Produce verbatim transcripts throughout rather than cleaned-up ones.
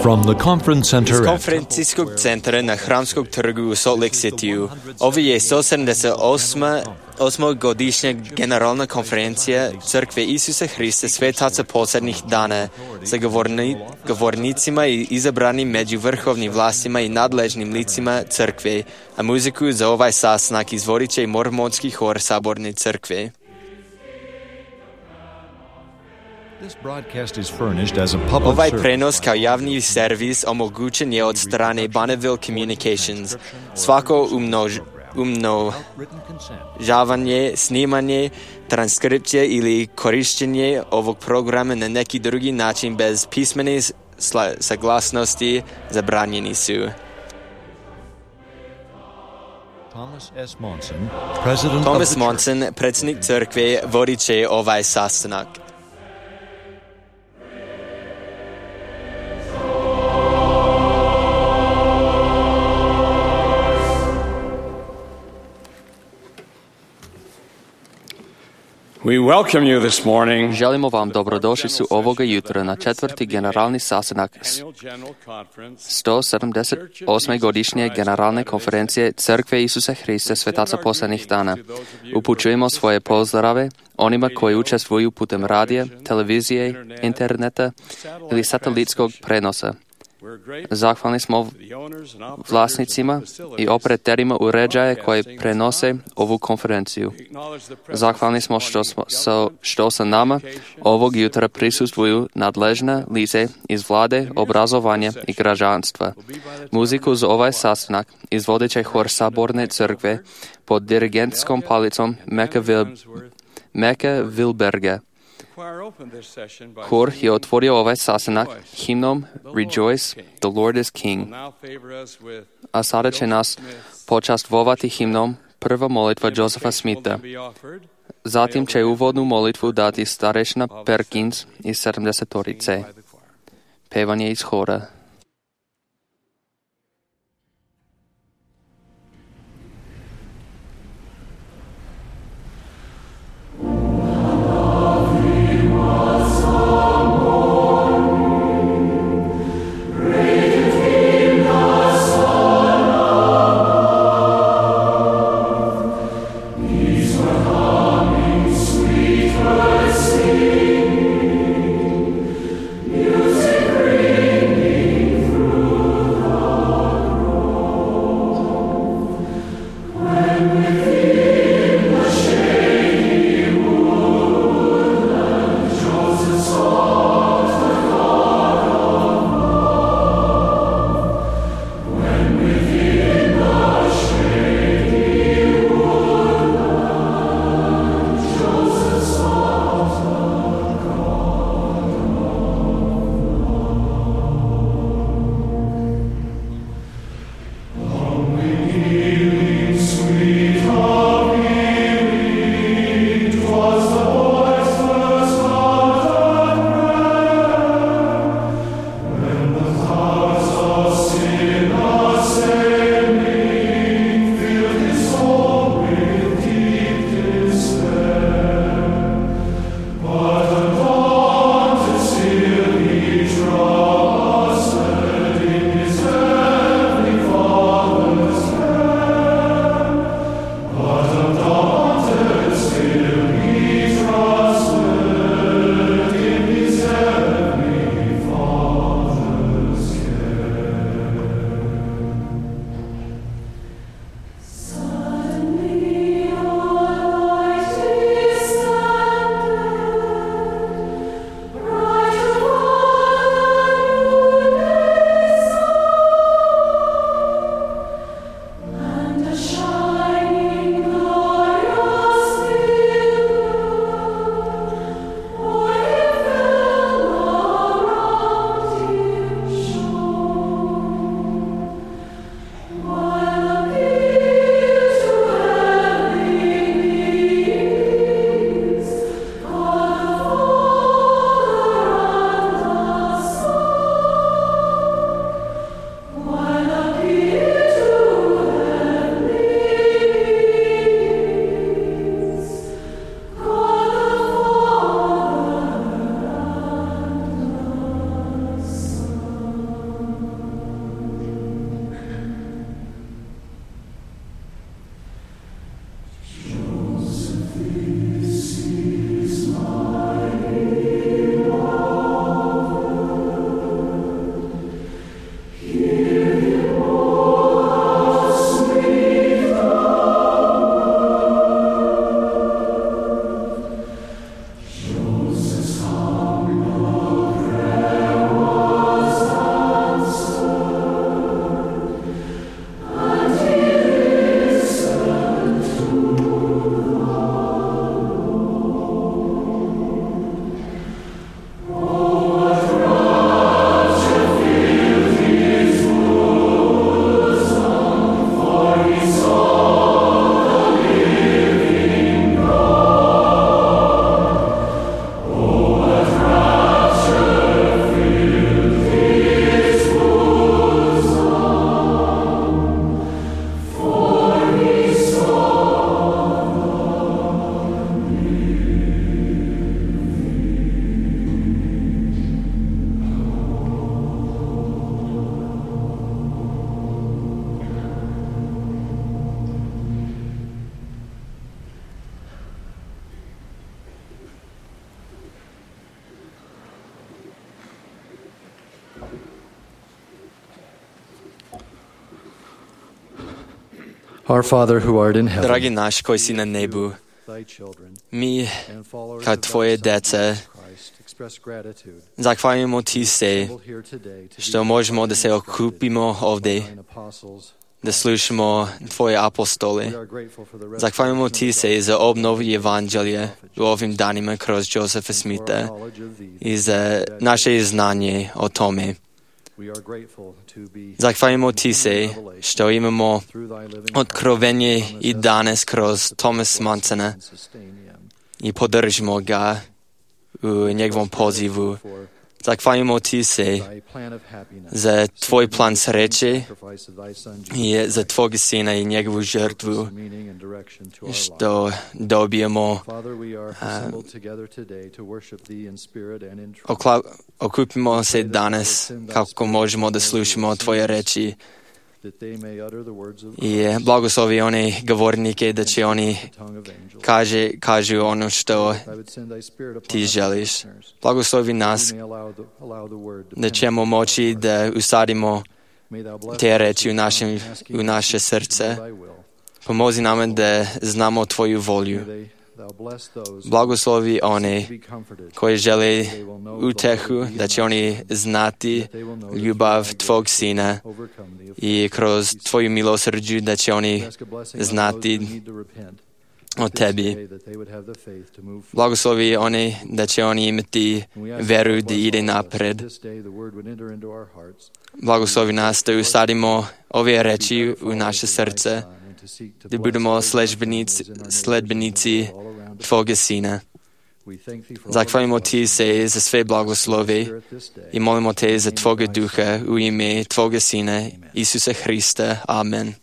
From the conference center Из at конференцийскog центра на Храмскog trgu u Salt Lake City-u. Ovo je sto sedamdeset osma godišnja generalna konferencija Crkve Isusa Hrista Svetaca posljednjih dana sa govorni, govornicima i izabranim među vrhovnim vlastima i nadležnim licima crkve, a muziku za ovaj sastanak izvodit će mormonski hor Saborne crkve. Ovaj prenos kao javni servis omogućen je od strane Bonneville Communications. Svako umnož, umnožavanje, snimanje, transkripcija ili korištenje ovog programa na neki drugi način bez pismene saglasnosti zabranjeni su. Thomas S. Monson, president Thomas of the Monson, predsjednik crkve, vodit će ovaj sastanak. We welcome you this morning. Želimo vam dobrodošlicu ovoga jutra na četvrti generalni sastanak sto sedamdeset osme godišnje generalne konferencije Crkve Isusa Hrista Svetaca posljednjih dana. Upućujemo svoje pozdrave onima koji učestvuju putem radija, televizije, interneta ili satelitskog prenosa. Zahvalni smo vlasnicima i operaterima uređaja koji prenose ovu konferenciju. Zahvalni smo što, smo, što sa nama ovog jutra prisustvuju nadležna lice iz vlade, obrazovanja i građanstva. Muziku za ovaj sastanak izvodit će hor Saborne crkve pod dirigentskom palicom Meka, Vil, Meka Vilberga. Hor je otvorio ovaj sastanak himnom Rejoice, the Lord is King. A sada će nas počastvovati himnom prva molitva Josepha Smitha. Zatim će uvodnu molitvu dati starešina Perkins iz sedamdesetorice. Pevanje iz hora. Music ringing Our Father who art in heaven, Dragi náš, koji si na nebu, thy children, mi, and followers kao of thy tvoje Son, deca, Jesus Christ, express gratitude. zahvaljujemo ti se Assembled here today to be što možemo da se instructed okupimo by ovdje, thine apostles. da slušamo tvoje apostole. We are grateful for the Zahvaljujemo ti restoration se of za God, obnovu evanđelja u ovim danima kroz Josefa for our Smitha knowledge of thee. i za naše znanje o tome. We are grateful to be Zahvaljujemo ti se što imamo through thy living otkrovenje i danas kroz Thomas Mansona and sustain him. i podržimo ga u njegovom pozivu. Zahvaljujemo ti se Thy plan of happiness, za tvoj plan sreće sacrifice of thy Son, Jesus i za Christ, tvog sina i njegovu žrtvu meaning and direction to our life. što dobijemo. Father, we are assembled together today to worship thee in spirit and in truth. Okla, okupimo se danas kako možemo da slušamo tvoje reči That they may utter the words of i Christ, blagoslovi one govornike da će oni the tongue of angels. kaže, kažu ono što I would send thy spirit upon ti our želiš. listeners. Blagoslovi We nas may allow the, allow the word to da ćemo penetrate moći our hearts. da usadimo May thou bless te us reči u, who našem, come asking u naše to know srce. thy will. Pomozi nam da znamo tvoju volju. May they- thou bless those Blagoslovi who one seek to be comforted, koji žele that they will know the utehu, love of thee da će and oni thy Son, znati that they will know that ljubav through thy tvog grace sina overcome the offense. i kroz tvoju milosrđu da će oni We ask a blessing on znati those who need to repent o this tebi. day, that they would have the faith to move forward. Blagoslovi one da će oni imati And we ask veru that da bless ide all of us, napred. that this day the word would enter into our hearts, Blagoslovi nas da usadimo ove to be reči better u followers naše of thy srce, Son, and to seek to da bless budemo those in our sledbenici, families, in our neighbors, sledbenici and all around us. tvoga sina. We thank thee for all of Zahvaljujemo the ti se za sve blagoslovi Spirit this day. i molimo te za tvoga duha u ime tvoga sina Isusa Hrista. Amen.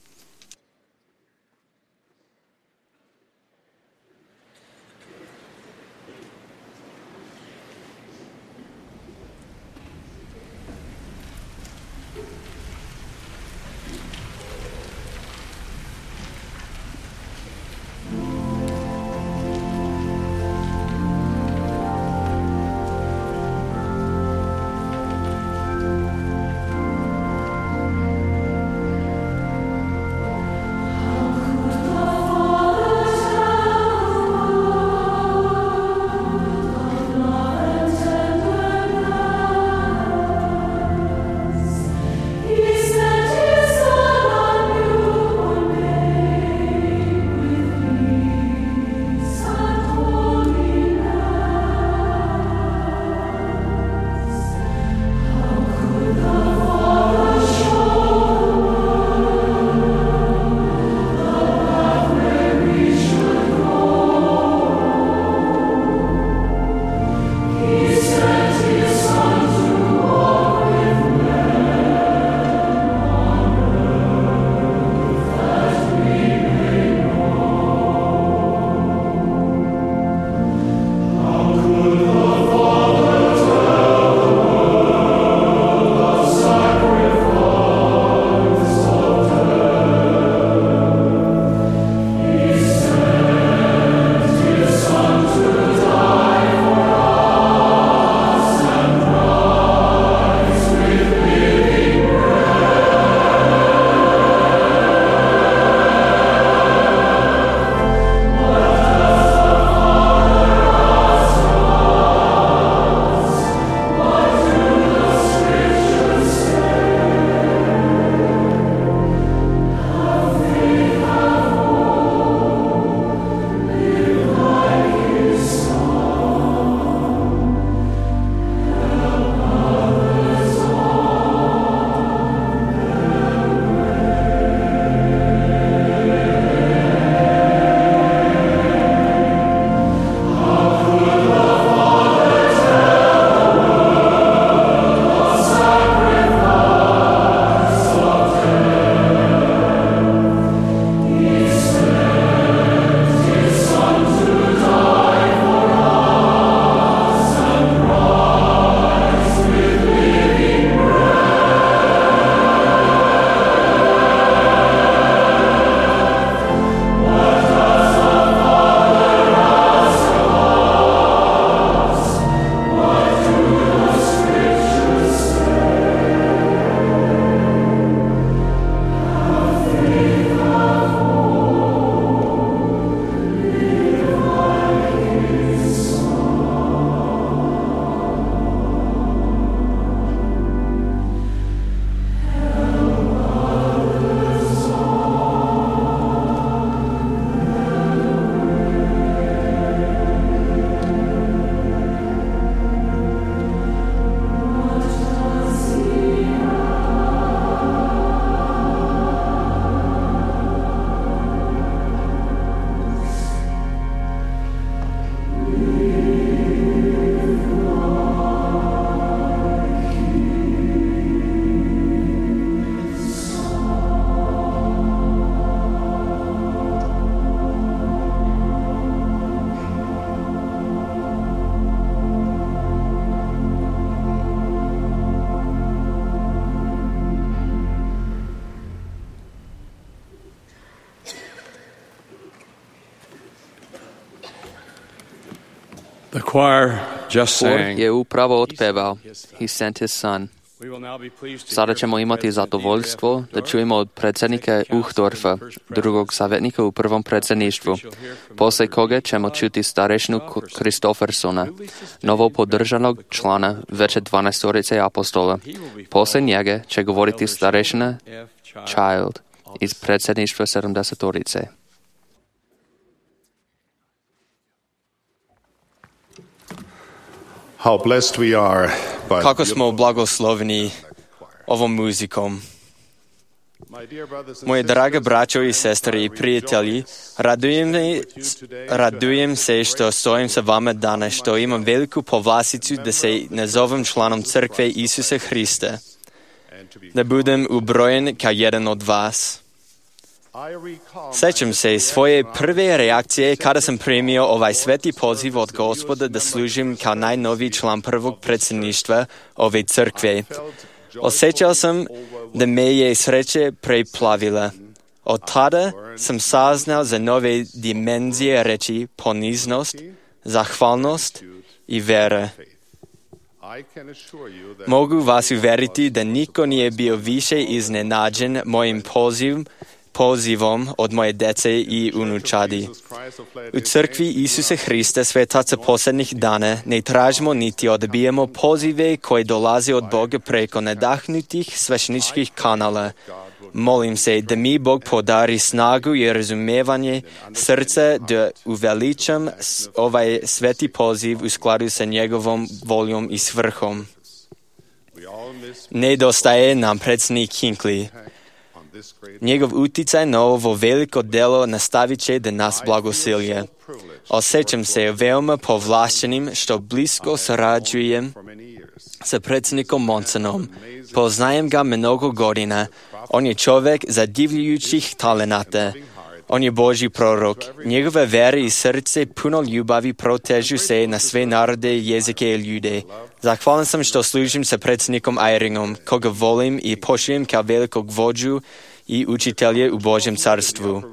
choir just Хор sang, je upravo otpeval He sent his son. we will now be pleased to Sada hear ćemo from imati President zadovoljstvo David da F. čujemo od predsjednika Uchtdorfa, drugog savjetnika u prvom predsjedništvu, poslije koga ćemo čuti starešinu Kristofersona, novo podržanog člana veće dvanaestorice apostola. Poslije njega će govoriti starešina Child iz predsjedništva sedamdesetorice. How blessed we are by Kako smo blagosloveni ovom muzikom. Moje drage braćo i sestre i prijatelji, radujem, radujem se što stojim sa vama danas, što imam veliku povlasticu da se nazovem članom Crkve Isusa Hrista, da budem ubrojen kao jedan od vas. Sećam se svoje prve reakcije kada sam primio ovaj sveti poziv od Gospoda da služim kao najnoviji član prvog predsjedništva ove crkve. Osjećao sam da me je sreće preplavila. Od tada sam saznao za nove dimenzije reči poniznost, zahvalnost i vera. Mogu vas uveriti da niko nije bio više iznenađen mojim pozivom pozivom od moje dece i unučadi. U crkvi Isusa Hrista, svetaca posljednjih dana, ne tražimo niti odbijemo pozive koje dolaze od Boga preko nadahnutih svešteničkih kanala. Molim se da mi Bog podari snagu i razumevanje srca da uveličam ovaj sveti poziv u skladu sa njegovom voljom i svrhom. Nedostaje nam predsjednik Hinckley. Njegov uticaj na ovo veliko delo nastavit će da nas blagosilje. Osjećam se veoma povlaštenim što blisko sarađujem sa predsjednikom Monsonom. Poznajem ga mnogo godina. On je čovjek zadivljujućih talenata. On je Božji prorok. Njegove vere i srce puno ljubavi protežu se na sve narode, jezike i ljude. Zahvalan sam što služim sa predsjednikom Eyringom, koga volim i poštujem kao velikog vođu i učitelje u Božjem carstvu.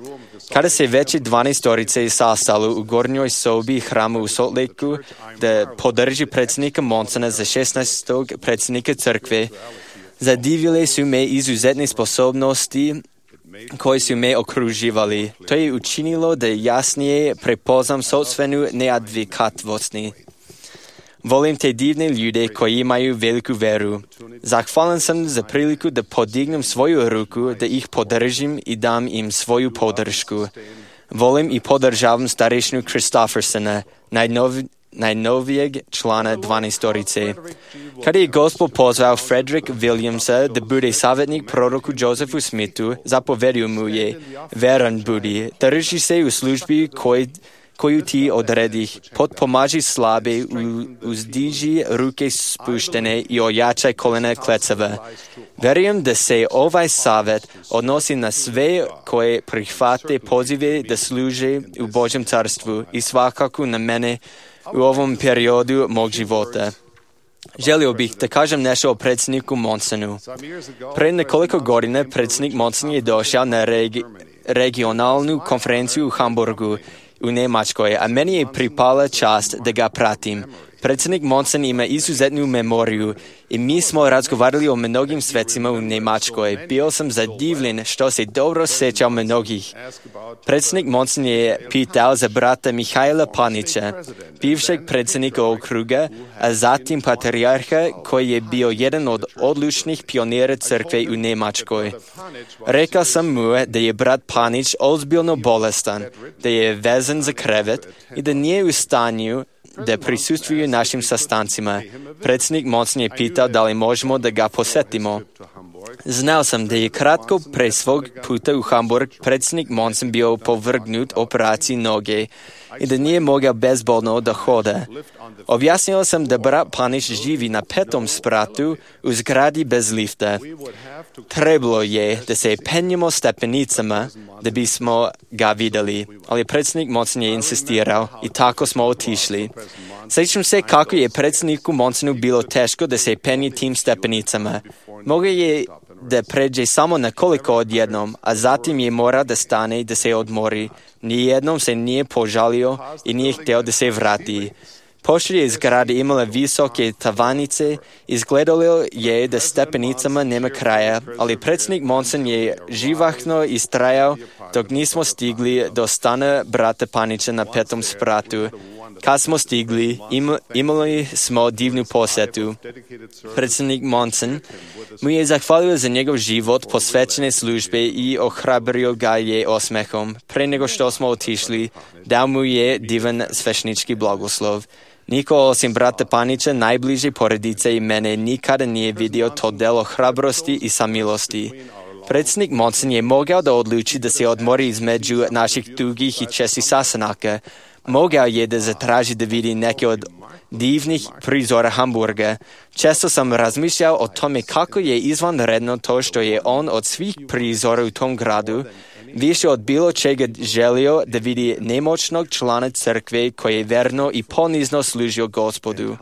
Kada se veće dvanaestorice sastalo u gornjoj sobi hrama u Salt Lakeu da podrži predsjednika Monsona za šesnaestog predsjednika crkve, zadivile su me izuzetne sposobnosti koji su me okruživali. To je učinilo da jasnije prepoznam sopstvenu neadvikatvost. Volim te divne ljude koji imaju veliku veru. Zahvalan sam za priliku da podignem svoju ruku, da ih podržim i dam im svoju podršku. Volim i podržavam starešinu Kristofersona, najnov, najnovijeg člana dvanaestorice. Kada je Gospod pozvao Frederick Williamsa da bude savjetnik proroku Josephu Smithu, zapovedio mu je, veran budi, drži se u službi koji koju ti odredih, potpomaži slabe, uzdiži ruke spuštene i ojačaj kolena klecava. Verujem da se ovaj savjet odnosi na sve koje prihvate pozive da služe u Božjem carstvu i svakako na mene u ovom periodu mog života. Želio bih da kažem nešto o predsjedniku Monsonu. Pre nekoliko godina predsjednik Monson je došao na regi- regionalnu konferenciju u Hamburgu u Njemačkoj, a meni je pripala čast da ga pratim. Predsjednik Monson ima izuzetnu memoriju i mi smo razgovarali o mnogim svecima u Njemačkoj. Bio sam zadivljen što se dobro sjećao mnogih. Predsjednik Monson je pitao za brata Mihajla Panića, bivšeg predsjednika okruga, a zatim patrijarha koji je bio jedan od odlučnih pionira crkve u Njemačkoj. Rekao sam mu da je brat Panić ozbiljno bolestan, da je vezan za krevet i da nije u stanju da prisustvuju našim sastancima. Predsjednik Monson je pitao da li možemo da ga posjetimo. Znao sam da je kratko pre svog puta u Hamburg predsjednik Monson bio povrgnut operaciji noge i da nije mogao bezbolno da hoda. Objasnio sam da brat Panić živi na petom spratu u zgradi bez lifta. Trebalo je da se penjemo stepenicama da bismo ga vidjeli, ali predsjednik Monson je insistirao i tako smo otišli. Sjećam se kako je predsjedniku Monsonu bilo teško da se penje tim stepenicama. Mogao je da pređe samo nekoliko odjednom, a zatim je morao da stane i da se odmori. Nijednom se nije požalio i nije htio da se vrati. Pošto je zgrada imala visoke tavanice, izgledalo je da stepenicama nema kraja, ali predsjednik Monson je živahno istrajao dok nismo stigli do stana brata Panića na petom spratu. Kad smo stigli, im, imali smo divnu posjetu. Predsjednik Monson mu je zahvalio za njegov život posvećene službe i ohrabrio ga je osmehom. Pre nego što smo otišli, dao mu je divan svešnički blagoslov. Niko osim brata Panića, najbliže porodice i mene, nikada nije vidio to delo hrabrosti i samilosti. Predsjednik Monson je mogao da odluči da se odmori između naših dugih i čestih sastanaka. Mogao je da zatraži da vidi neke od divnih prizora Hamburga. Često sam razmišljao o tome kako je izvanredno to što je on od svih prizora u tom gradu više od bilo čega želio da vidi nemoćnog člana crkve koji je verno i ponizno služio Gospodu.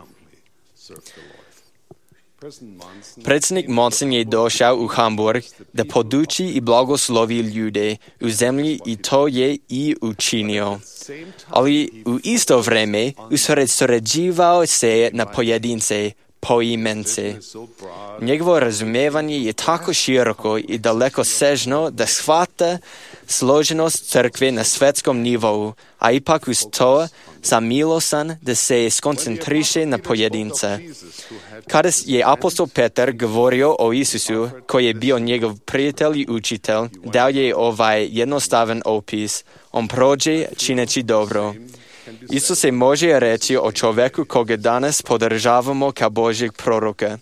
Predsjednik Monson je došao u Hamburg da poduči i blagoslovi ljude u zemlji i to je i učinio. Ali u isto vreme usredsređivao se na pojedince, poimence. Njegovo razumevanje je tako široko i daleko sežno da shvata složenost crkve na svetskom nivou, a ipak uz to samilosan da se skoncentriše na pojedinca. Kada je apostol Petar govorio o Isusu, koji je bio njegov prijatelj i učitelj, dao je ovaj jednostavan opis. On prođe čineći dobro. Isto se može reći o čovjeku koga danas podržavamo kao Božjeg proroka.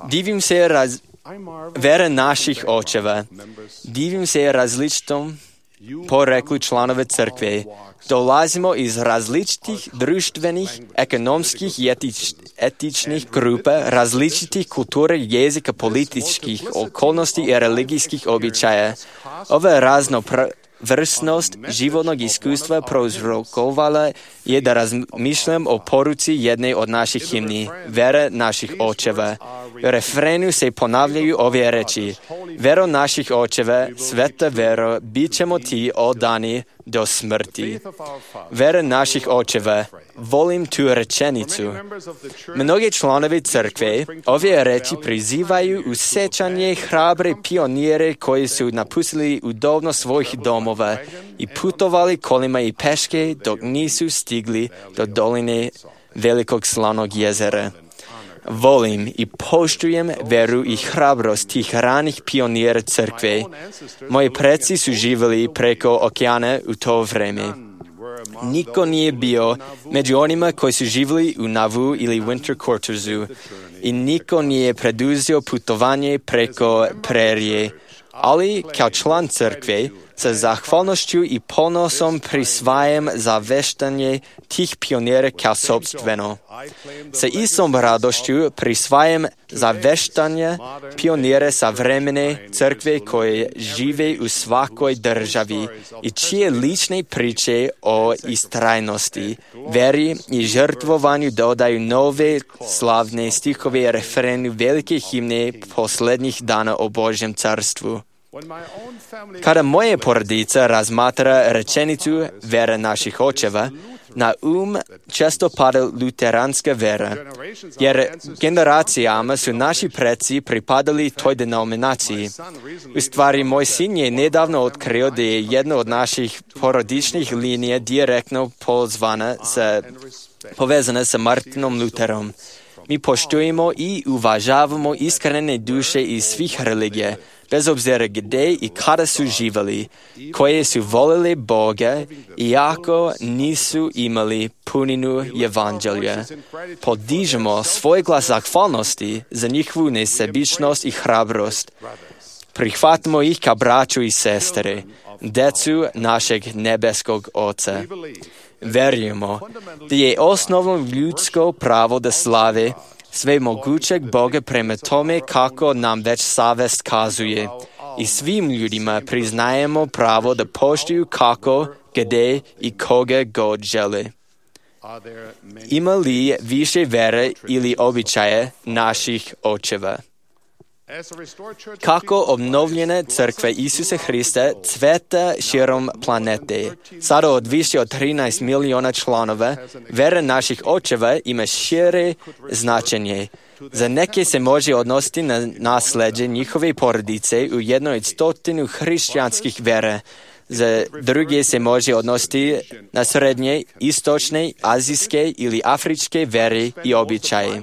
Divim se raz... vera naših očeva. Divim se različitom poreklu članove crkve. Dolazimo iz različitih društvenih, ekonomskih i etič, etičnih grupa, različitih kultura, jezika, političkih okolnosti i religijskih običaja. Ova raznovrsnost životnog iskustva prouzrokovala je da razmišljam o poruci jedne od naših himni, vera naših očeva. U refrenu se ponavljaju ove reči: vero naših očeva, sveta vero, bit ćemo ti odani do smrti. Vera naših očeva, volim tu rečenicu. Mnogi članovi crkve ove reči prizivaju u sećanje hrabre pionire koji su napustili udobno svojih domova i putovali kolima i peške dok nisu stigli do doline velikog slanog jezera. Volim i poštujem veru i hrabrost tih ranih pionira crkve. Moji preci su živjeli preko okeana u to vreme. Niko nije bio među onima koji su živjeli u Nauvoo ili Winter Quartersu i niko nije preduzeo putovanje preko prerije. Ali kao član crkve, sa zahvalnošću i ponosom prisvajam zaveštanje tih pionira kao sopstveno. Sa istom radošću prisvajam zaveštanje pionira savremene crkve koje žive u svakoj državi i čije lične priče o istrajnosti, veri i žrtvovanju dodaju nove slavne stihove refrenu velike himne posljednjih dana o Božjem carstvu. Kada moja porodica razmatra rečenicu vera naših očeva, na um često pada luteranska vera, jer generacijama su naši preci pripadali toj denominaciji. U stvari, moj sin je nedavno otkrio da je jedna od naših porodičnih linija direktno pozvana sa, povezana sa Martinom Luterom. Mi poštujemo i uvažavamo iskrene duše iz svih religija, bez obzira gdje i kada su živjeli, koje su volili Boga, iako nisu imali puninu evanđelja. Podižemo svoj glas zahvalnosti za njihovu nesebičnost i hrabrost. Prihvatimo ih kao braću i sestre, decu našeg nebeskog Oca. Verujemo da je osnovno ljudsko pravo da slave svemogućeg Boga prema tome kako nam već savest kazuje. I svim ljudima priznajemo pravo da poštuju kako, gdje i koga god žele. Ima li više vere ili običaje naših očeva? Kako obnovljena crkva Isusa Hrista cveta širom planete. Sada od više od trinaest miliona članova, vera naših očeva ima šire značenje. Za neke se može odnositi na nasleđe njihove porodice u jednoj od stotinu hrišćanskih vera. Za druge se može odnositi na srednje, istočne, azijske ili afričke vere i običaje.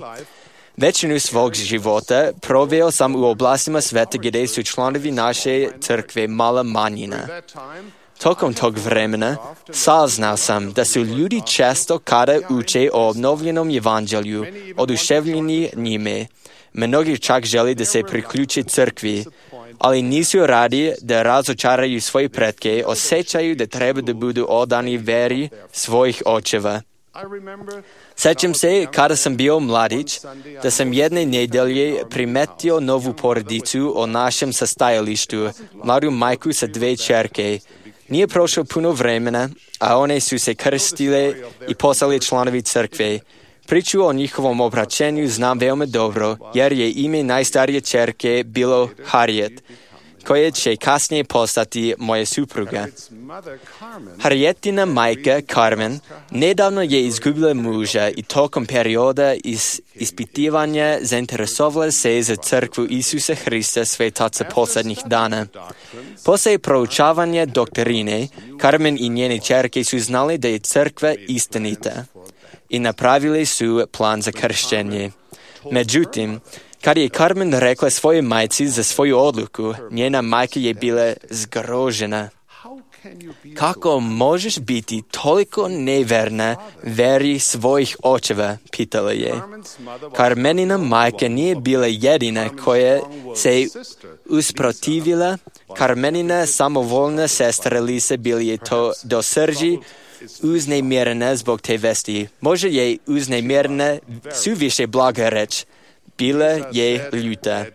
Većinu svog života proveo sam u oblastima sveta gdje su članovi naše crkve mala manjina. Tokom tog vremena saznao sam da su ljudi često kada uče o obnovljenom evanđelju oduševljeni njime. Mnogi čak žele da se priključe crkvi, ali nisu radi da razočaraju svoje pretke, osjećaju da treba da budu odani veri svojih očeva. Sjećam se, kada sam bio mladić, da sam jedne nedelje primetio novu porodicu o našem sastajalištu, mladu majku sa dve čerke. Nije prošlo puno vremena, a one su se krstile i postale članovi crkve. Priču o njihovom obraćenju znam veoma dobro, jer je ime najstarije čerke bilo Harriet, koja će kasnije postati moja supruga. Harrietina majka, Carmen, nedavno je izgubila muža i tokom perioda is, ispitivanja zainteresovala se za crkvu Isusa Hrista svetaca posljednjih dana. Poslije proučavanja doktrine, Carmen i njene čerke su znali da je crkva istinita i napravili su plan za krštenje. Međutim, kad je Carmen rekla svojoj majci za svoju odluku, njena majka je bila zgrožena. Kako možeš biti toliko neverna veri svojih očeva, pitala je. Carmenina majka nije bila jedina koja se usprotivila. Carmenina samovoljna sestra Lisa bila je to do srži uznemirena zbog te vesti. Možda je uznemirena suviše blaga reč. Bila je ljuta.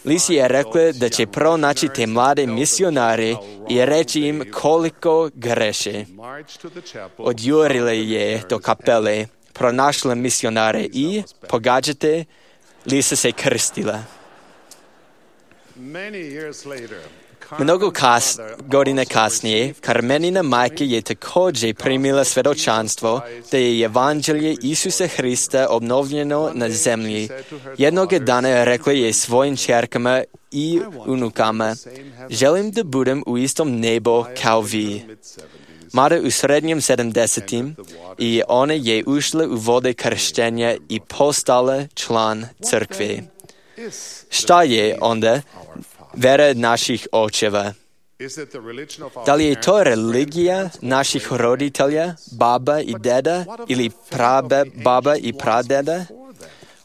Lisa je rekla da će pronaći te mlade misionare i reći im koliko greše. Odjurila je do kapele, pronašla misionare i, pogađate, Lisa se krstila. Mnogo kas, godine kasnije, Carmenina majka je također primila svjedočanstvo da je evanđelje Isusa Hrista obnovljeno na zemlji. Jednog dana rekla je svojim čerkama i unukama, želim da budem u istom nebu kao vi. Mada u srednjim sedamdesetim i ona je ušla u vode krštenja i postala član crkve. Šta je onda vera naših očeva? Da li je to religija naših roditelja, baba i deda ili prababa i pradeda?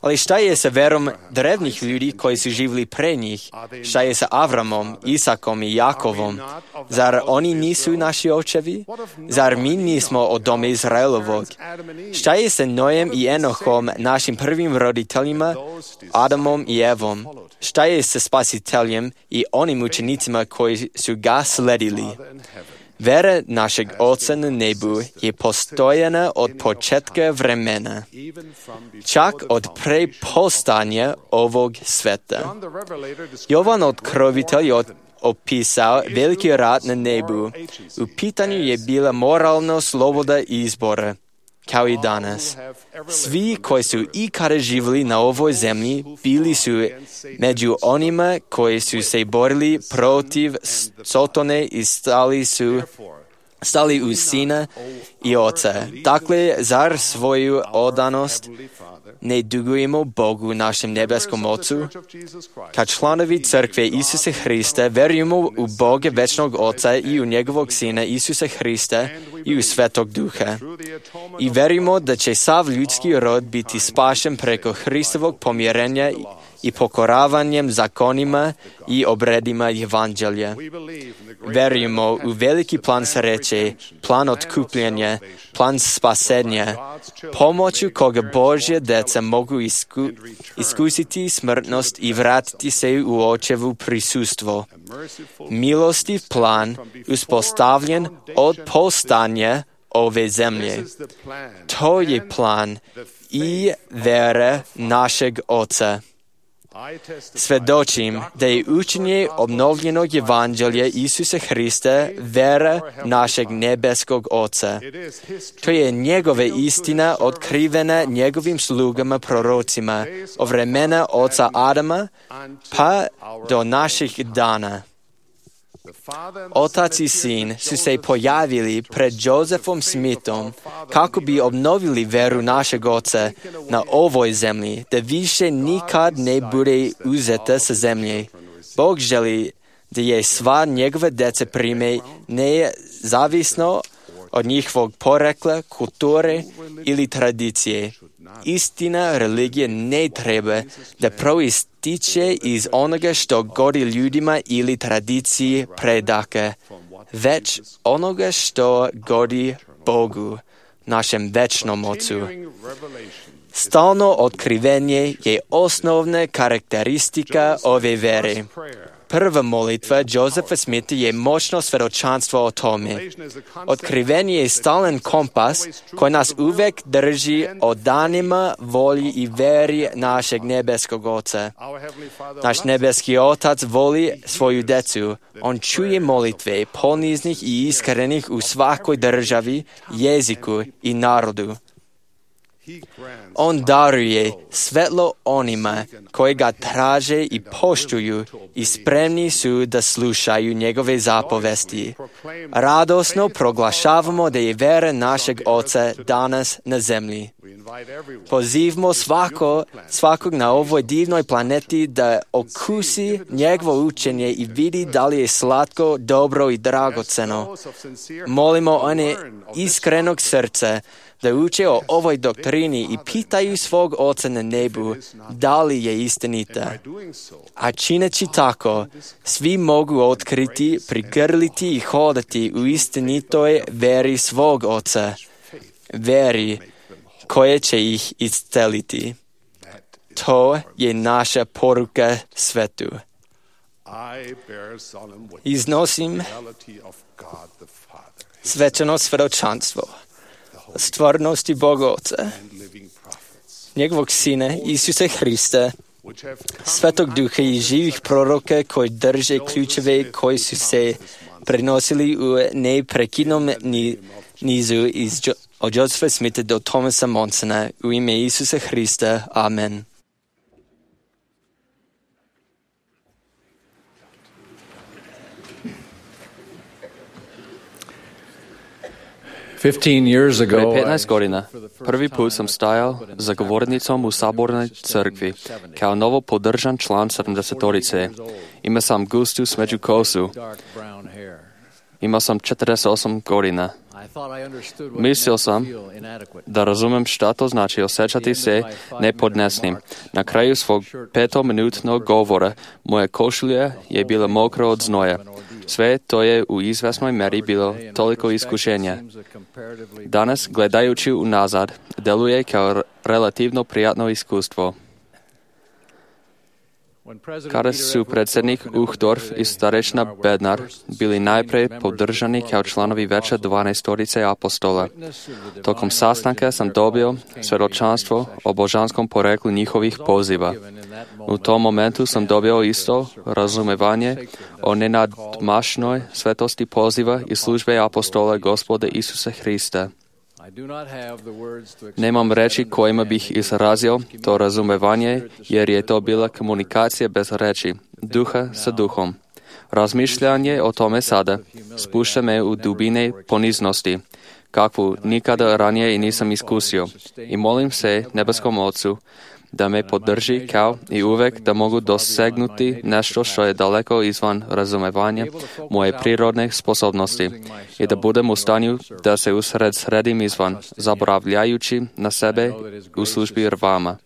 Ali šta je sa verom drevnih ljudi koji su živjeli pre njih? Šta je sa Avramom, Isakom i Jakovom? Zar oni nisu naši očevi? Zar mi nismo od doma Izraelovog? Šta je sa Nojem i Enohom, našim prvim roditeljima, Adamom i Evom? Šta je sa Spasiteljem i onim učenicima koji su ga sledili? Vera našeg Oca na nebu je postojana od početka vremena, čak od pre postanja ovog sveta. Jovan Otkrovitelj je opisao veliki rat na nebu. U pitanju je bila moralna sloboda izbora, kao i danas. Svi koji su ikada živjeli na ovoj zemlji bili su među onima koji su se borili protiv Sotone i stali su stali uz Sina i Oca. Dakle, zar svoju odanost ne dugujemo Bogu, našem nebeskom Ocu? Kao članovi crkve Isusa Hrista verujemo u Boga večnog Oca i u njegovog Sina Isusa Hrista i u Svetog Duha. I verujemo da će sav ljudski rod biti spašen preko Hristovog pomirenja i pokoravanjem zakonima i obredima evanđelja. Verujemo u veliki plan sreće, plan otkupljenja, plan spasenja, pomoću koga Božja deca mogu isku, iskusiti smrtnost i vratiti se u Očevu prisustvo. Milostiv plan uspostavljen od postanja ove zemlje. To je plan i vera našeg Oca. Svedočim da je učenje obnovljenog Evanđelja Isusa Hrista vera našeg nebeskog Oca. To je njegova istina otkrivena njegovim slugama prorocima od vremena oca Adama pa do naših dana. Otac i sin su se pojavili pred Josefom Smithom kako bi obnovili veru našeg oca na ovoj zemlji, da više nikad ne bude uzeta sa zemlje. Bog želi da je sva njegova deca prime nezavisno od njihovog porekla, kulture ili tradicije. Istina religije ne treba da proističe iz onoga što godi ljudima ili tradiciji predaka, već onoga što godi Bogu, našem večnom Ocu. Stalno otkrivenje je osnovna karakteristika ove vere. Prva molitva Josefa Smitha je moćno svedočanstvo o tome. Otkrivenje je stalan kompas koji nas uvek drži o danima, volji i veri našeg nebeskog Oca. Naš nebeski Otac voli svoju decu. On čuje molitve poniznih i iskrenih u svakoj državi, jeziku i narodu. On daruje svetlo onima koji ga traže i poštuju i spremni su da slušaju njegove zapovesti. Radosno proglašavamo da je vera našeg Oca danas na zemlji. Pozivamo svako, svakog na ovoj divnoj planeti da okusi njegovo učenje i vidi da li je slatko, dobro i dragoceno. Molimo one iskrenog srca da uče o ovoj doktrini i pitaju svog Oca na nebu da li je istinita. A čineći tako, svi mogu otkriti, prigrliti i hodati u istinitoj veri svog Oca, veri koje će ih isceliti. To je naša poruka svetu. Iznosim svečano svedočanstvo stvarnosti Boga Oca, njegovog Sina Isusa Hrista, Svetog Duha i živih proroka koji drže ključeve koji su se prenosili u neprekidnom nizu iz od Josefa Smitha do Thomasa Monsona u ime Isusa Hrista. Amen. Pre petnaest godina prvi put sam stajao za govornicom u Sabornoj crkvi kao novo podržan član sedamdesetorice. Imao sam gustu smeđu kosu. Imao sam četrdeset osam godina. Mislio sam da razumem šta to znači osjećati se nepodnesnim. Na kraju svog petominutnog govora moja košulja je bila mokra od znoja. Sve to je u izvesnoj meri bilo toliko iskušenja. Danas, gledajući unazad, deluje kao relativno prijatno iskustvo. Kada su predsjednik Uchtdorf i starešna Bednar bili najprej podržani kao članovi veća dvanaestorice apostola. Tokom sastanka sam dobio svjedočanstvo o božanskom poreklu njihovih poziva. U tom momentu sam dobio isto razumevanje o nenadmašnoj svetosti poziva i službe apostola Gospoda Isusa Hrista. Nemam reči kojima bih izrazio to razumevanje, jer je to bila komunikacija bez reči, duha sa duhom. Razmišljanje o tome sada spušta me u dubine poniznosti, kakvu nikada ranije i nisam iskusio. I molim se nebeskom Ocu da me podrži kao i uvek da mogu dosegnuti nešto što je daleko izvan razumevanja moje prirodne sposobnosti i da budem u stanju da se usred sredim izvan, zaboravljajući na sebe u službi vama.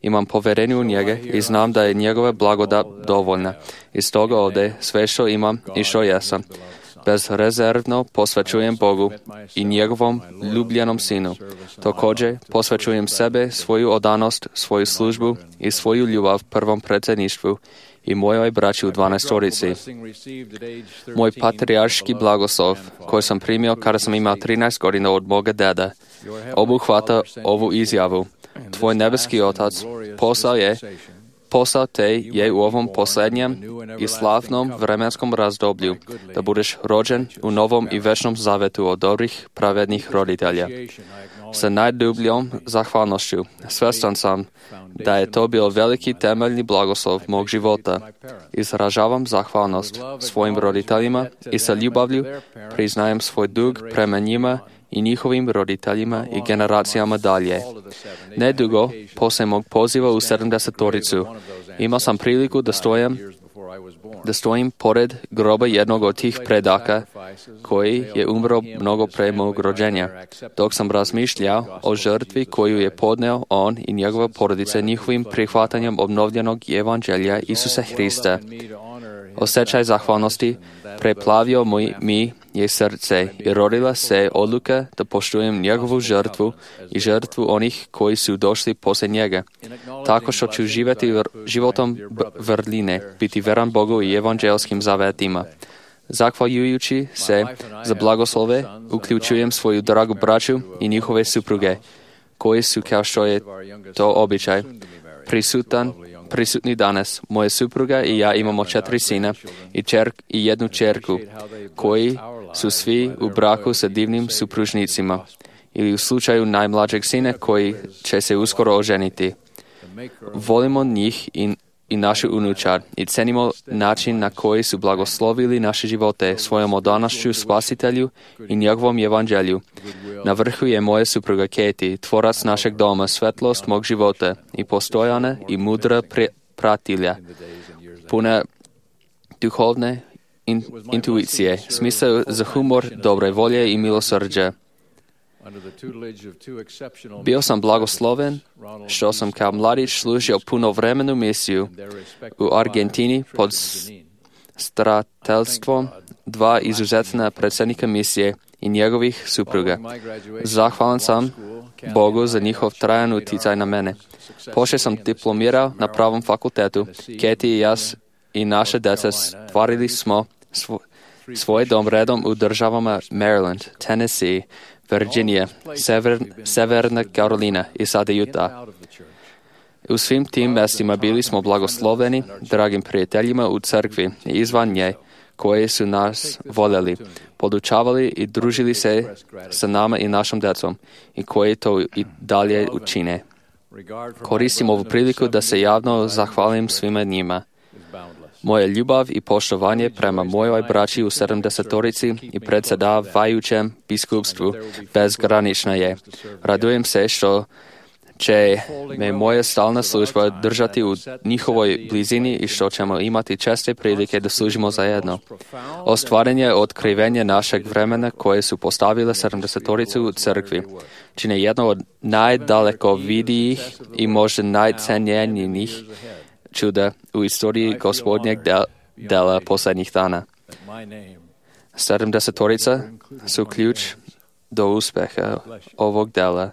Imam poverenje u njega i znam da je njegova blagodat dovoljna. I stoga ovdje sve što imam i što jesam bezrezervno posvećujem Bogu i njegovom ljubljenom Sinu. Također posvećujem sebe, svoju odanost, svoju službu i svoju ljubav prvom predsjedništvu i mojoj braći u dvanaestorici. Moj patrijarški blagoslov, koji sam primio kada sam imao trinaest godina od moga deda, obuhvata ovu izjavu. Tvoj nebeski Otac poslao je poslao te je u ovom posljednjem i slavnom vremenskom razdoblju, da budeš rođen u novom i večnom zavetu od dobrih, pravednih roditelja. Sa najdubljom zahvalnošću svjestan sam da je to bio veliki temeljni blagoslov mog života. Izražavam zahvalnost svojim roditeljima i sa ljubavlju priznajem svoj dug prema njima i njihovim roditeljima i generacijama dalje. Nedugo poslije mog poziva u sedamdesetoricu imao sam priliku da stojim, da stojim pored groba jednog od tih predaka koji je umro mnogo pre mog rođenja, dok sam razmišljao o žrtvi koju je podneo on i njegova porodica njihovim prihvatanjem obnovljenog evanđelja Isusa Hrista. Osjećaj zahvalnosti preplavio moj, mi je srce i rodila se odluka da poštujem njegovu žrtvu i žrtvu onih koji su došli poslije njega, tako što ću živjeti životom vrline, biti veran Bogu i evanđelskim zavetima. Zahvaljujući se za blagoslove, uključujem svoju dragu braću i njihove supruge, koji su, kao što je to običaj, prisutan prisutni danas. Moja supruga i ja imamo četiri sina i, čer, i jednu čerku, koji su svi u braku sa divnim supružnicima ili u slučaju najmlađeg sina koji će se uskoro oženiti. Volimo njih i, i našu unučad i cenimo način na koji su blagoslovili naše živote svojom odanošću Spasitelju i njegovom evanđelju. Na vrhu je moja supruga Katie, tvorac našeg doma, svetlost mog života i postojana i mudra pre, pratilja, puna duhovne in, intuicije, smisao za humor, dobre volje i milosrđa. Bio sam blagosloven što sam kao mladić služio punovremenu misiju u Argentini pod starateljstvom dva izuzetna predsjednika misije i njegovih supruga. Zahvalan sam Bogu za njihov trajan utjecaj na mene. Poslije sam diplomirao na pravom fakultetu. Katie i ja i naše djeca stvarili smo svo, svoj dom redom u državama Maryland, Tennessee, Virginia, Sever, Severna Karolina i sada Utah. U svim tim mjestima bili smo blagosloveni dragim prijateljima u crkvi i izvan nje, koji su nas voljeli, podučavali i družili se sa nama i našom djecom i koji to i dalje učine. Koristim ovu priliku da se javno zahvalim svima njima. Moja ljubav i poštovanje prema mojoj braći u sedamdesetorici i predsjedavajućem biskupstvu bezgranična je. Radujem se što će me moja stalna služba držati u njihovoj blizini i što ćemo imati česte prilike da služimo zajedno. Ostvarenje otkrivenja našeg vremena koje su postavile sedamdesetoricu u crkvi čine jedno od najdalekovidijih i možda najcenjenijih čuda u istoriji Gospodnjeg del, dela posljednjih dana. Sedamdesetorica su ključ do uspjeha ovog dela.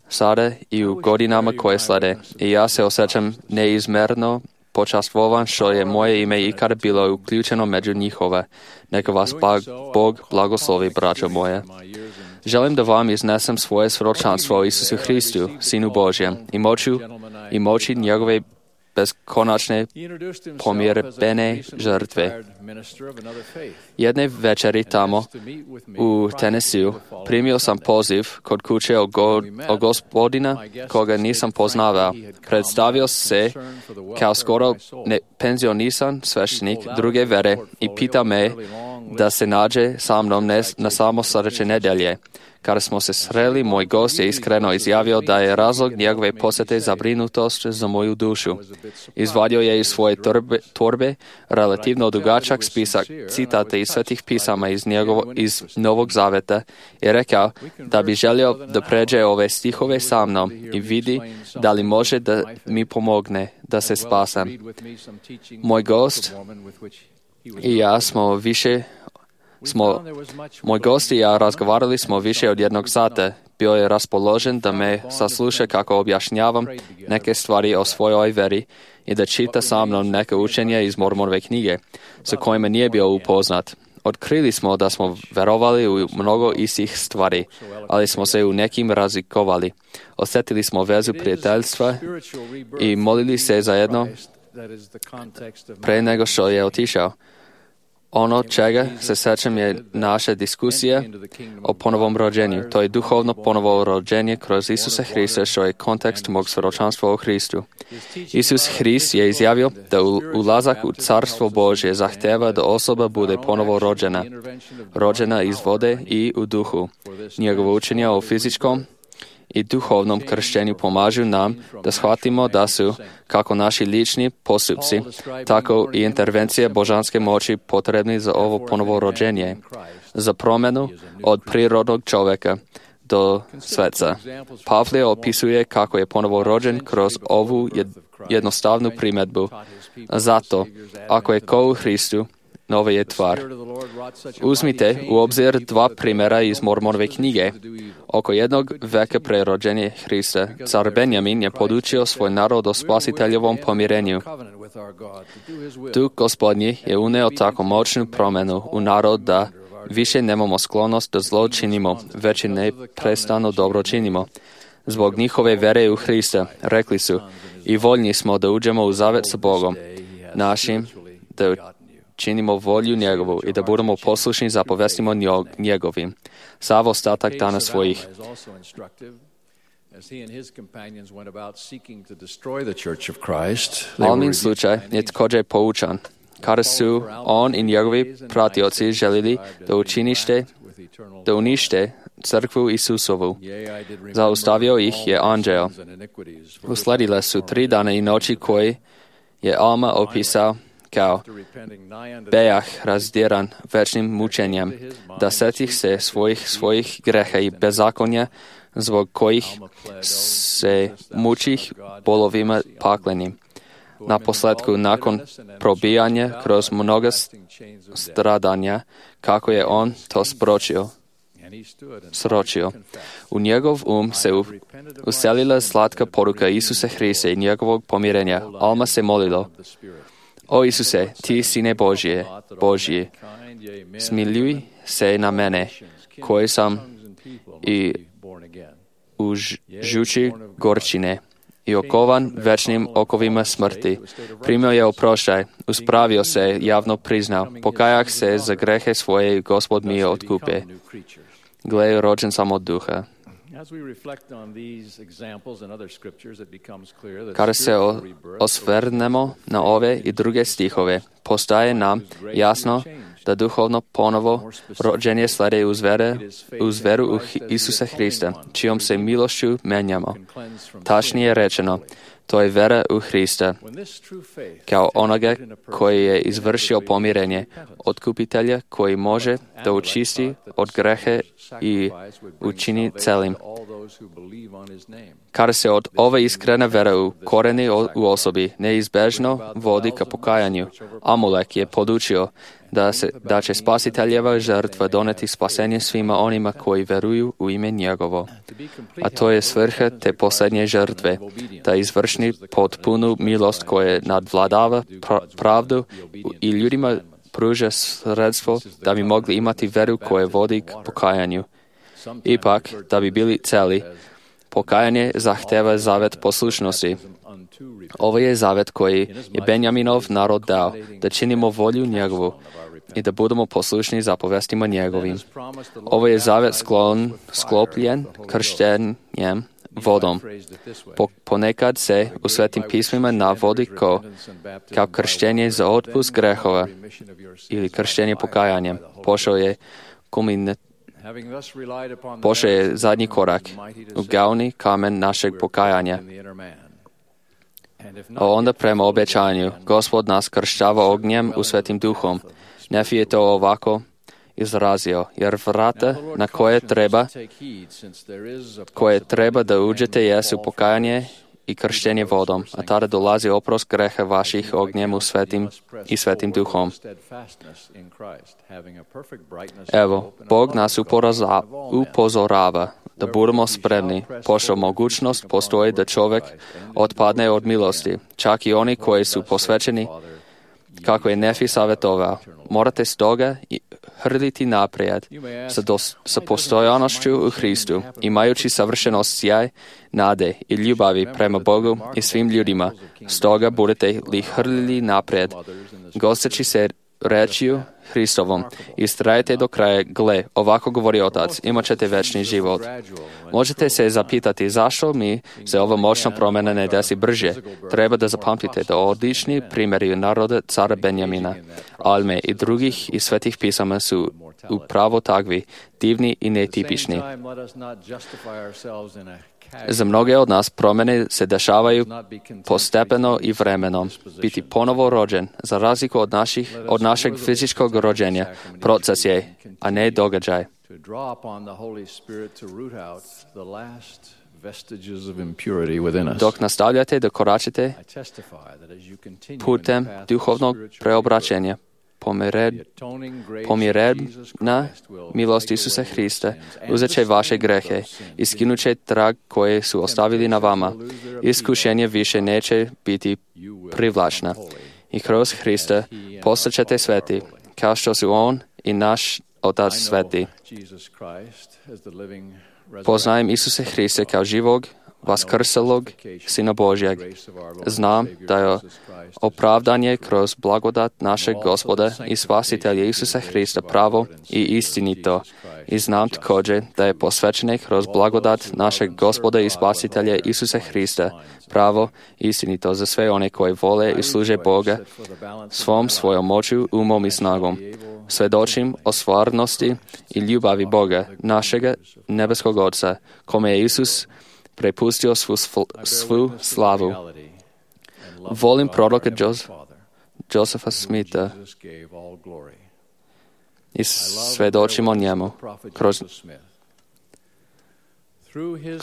Sada i u godinama koje slede, i ja se osjećam neizmjerno počastvovan što je moje ime ikada bilo uključeno među njihove. Neka vas Bog blagoslovi, braćo moje. Želim da vam iznesem svoje svjedočanstvo Isusu Hristu, Sinu Božjem, i moću i moći njegove beskonačne pomirbene žrtve. Jedne večeri tamo u Tennesseeu primio sam poziv kod kuće o, go, o gospodina koga nisam poznavao. Predstavio se kao skoro ne, penzionisan sveštenik druge vere i pitao me da se nađe sa mnom na samo sljedeće nedjelje. Kada smo se sreli, moj gost je iskreno izjavio da je razlog njegove posjete zabrinutost za moju dušu. Izvadio je iz svoje torbe, torbe relativno dugačak spisak citata iz svetih pisama iz, njegovo, iz Novog Zaveta i rekao da bi želio da pređe ove stihove sa mnom i vidi da li može da mi pomogne da se spasam. Moj gost i ja smo više Smo, moj gost i ja razgovarali smo više od jednog sata. Bio je raspoložen da me sasluša kako objašnjavam neke stvari o svojoj veri i da čita sa mnom neke učenje iz Mormonove knjige, sa kojima nije bio upoznat. Otkrili smo da smo verovali u mnogo istih stvari, ali smo se u nekim razlikovali. Osjetili smo vezu prijateljstva i molili se zajedno pre nego što je otišao. Ono čega se sećam je naša diskusija o ponovom rođenju. To je duhovno ponovo rođenje kroz Isusa Hrista, što je kontekst mog svjedočanstva o Hristu. Isus Hrist je izjavio da ulazak u Carstvo Božje zahteva da osoba bude ponovo rođena. Rođena iz vode i u duhu. Njegovo učenje o fizičkom i duhovnom krštenju pomažu nam da shvatimo da su kako naši lični postupci, tako i intervencije božanske moći potrebni za ovo ponovo rođenje, za promjenu od prirodnog čovjeka do sveca. Pavle opisuje kako je ponovo rođen kroz ovu jednostavnu primjedbu. Zato, ako je ko u Hristu, nova je tvar. Uzmite u obzir dva primjera iz Mormonove knjige. Oko jednog veka pre rođenja Hrista, car Benjamin je podučio svoj narod o spasiteljevom pomirenju. Duh Gospodnji je uneo tako moćnu promjenu u narod da više nemamo sklonost da zlo činimo, već i neprestano dobro činimo. Zbog njihove vere u Hrista, rekli su, i voljni smo da uđemo u zavet sa Bogom našim, da činimo volju njegovu i da budemo poslušni zapovestima njegovim. Sav ostatak dana svojih. Almin slučaj je također poučan, kada su on i njegovi pratioci želili da učinište, da unište crkvu Isusovu. Zaustavio ih je anđeo. Usledile su tri dana i noći koji je Alma opisao kao bejah razdiran večnim mučenjem, da setih se svojih svojih greha i bezakonja, zbog kojih se mučih bolovima paklenim. Na posledku, nakon probijanja kroz mnoga stradanja, kako je on to spročio, sročio. U njegov um se u, uselila slatka poruka Isusa Hrista i njegovog pomirenja. Alma se molilo, o Isuse, ti sine Božije, Božji, smiljuj se na mene, koji sam i u žuči gorčine i okovan večnim okovima smrti. Primio je oproštaj, uspravio se, javno priznao, pokajah se za grehe svoje, Gospod mi je otkupe. Gle, rođen sam od duha. Kada se osvrnemo na ove i druge stihove, postaje nam jasno da duhovno ponovo rođenje slede uz, vere, uz veru u Isusa Hrista, čijom se milošću menjamo. Tačnije rečeno, to je vera u Hrista, kao onoga koji je izvršio pomirenje, otkupitelja koji može da učisti od grehe i učini celim. Kada se od ove iskrene vere u koreni u osobi neizbežno vodi ka pokajanju, Amulek je podučio da, se, da će spasiteljeva žrtva doneti spasenje svima onima koji veruju u ime njegovo. A to je svrha te posljednje žrtve, da izvršni potpunu milost koje nadvladava pravdu i ljudima pruža sredstvo da bi mogli imati veru koje vodi k pokajanju. Ipak, da bi bili celi, pokajanje zahteva zavet poslušnosti. Ovo je zavet koji je Benjaminov narod dao, da činimo volju njegovu i da budemo poslušni zapovestima njegovim. Ovo je zavet sklon, sklopljen krštenjem vodom. Po, ponekad se u Svetim pismima navodi ko, kao krštenje za otpust grehova ili krštenje pokajanjem. Pošao je kulminat Pošao je zadnji korak, u glavni kamen našeg pokajanja. A onda prema obećanju, Gospod nas kršćava ognjem u Svetim duhom. Nefi je to ovako izrazio, jer vrata na koje treba, koje treba da uđete jesu pokajanje i krštenje vodom, a tada dolazi oprost greha vaših ognjem u Svetim i Svetim duhom. Evo, Bog nas upozorava, upozorava da budemo spremni, pošto mogućnost postoji da čovjek otpadne od milosti, čak i oni koji su posvećeni, kako je Nefi savjetovao. Morate stoga hrditi naprijed sa, dos, sa postojanošću u Hristu, imajući savršenost sjaj, nade i ljubavi prema Bogu i svim ljudima. Stoga budete li hrdili naprijed, gosteći se rečju Hristovom, istrajte do kraja, gle, ovako govori Otac, imat ćete večni život. Možete se zapitati zašto mi se ova moćna promjena ne desi brže. Treba da zapamtite da odlični primjeri naroda cara Benjamina, Alme i drugih iz svetih pisama su upravo takvi, divni i netipični. Za mnoge od nas promjene se dešavaju postepeno i vremenom. Biti ponovo rođen, za razliku od, naših, od našeg fizičkog rođenja, proces je, a ne događaj. Dok nastavljate da koračite putem duhovnog preobraćenja, pomiredna milost Isusa Hrista uzet će vaše grehe i skinut će trag koje su ostavili na vama. Iskušenje više neće biti privlačna. I kroz Hrista postaćete sveti, kao što su On i naš Otac sveti. Poznajem Isusa Hrista kao živog, vaskrselog Sina Božjeg. Znam da je opravdanje kroz blagodat našeg Gospoda i Spasitelja Isusa Hrista pravo i istinito. I znam također da je posvećenje kroz blagodat našeg Gospoda i Spasitelja Isusa Hrista pravo i istinito za sve one koji vole i služe Boga svom svojom moću, umom i snagom. Svedočim o stvarnosti i ljubavi Boga, našega nebeskog Oca, kome je Isus prepustio svu, svu slavu. Volim proroka Josefa Smitha i svedočim o njemu. Kroz,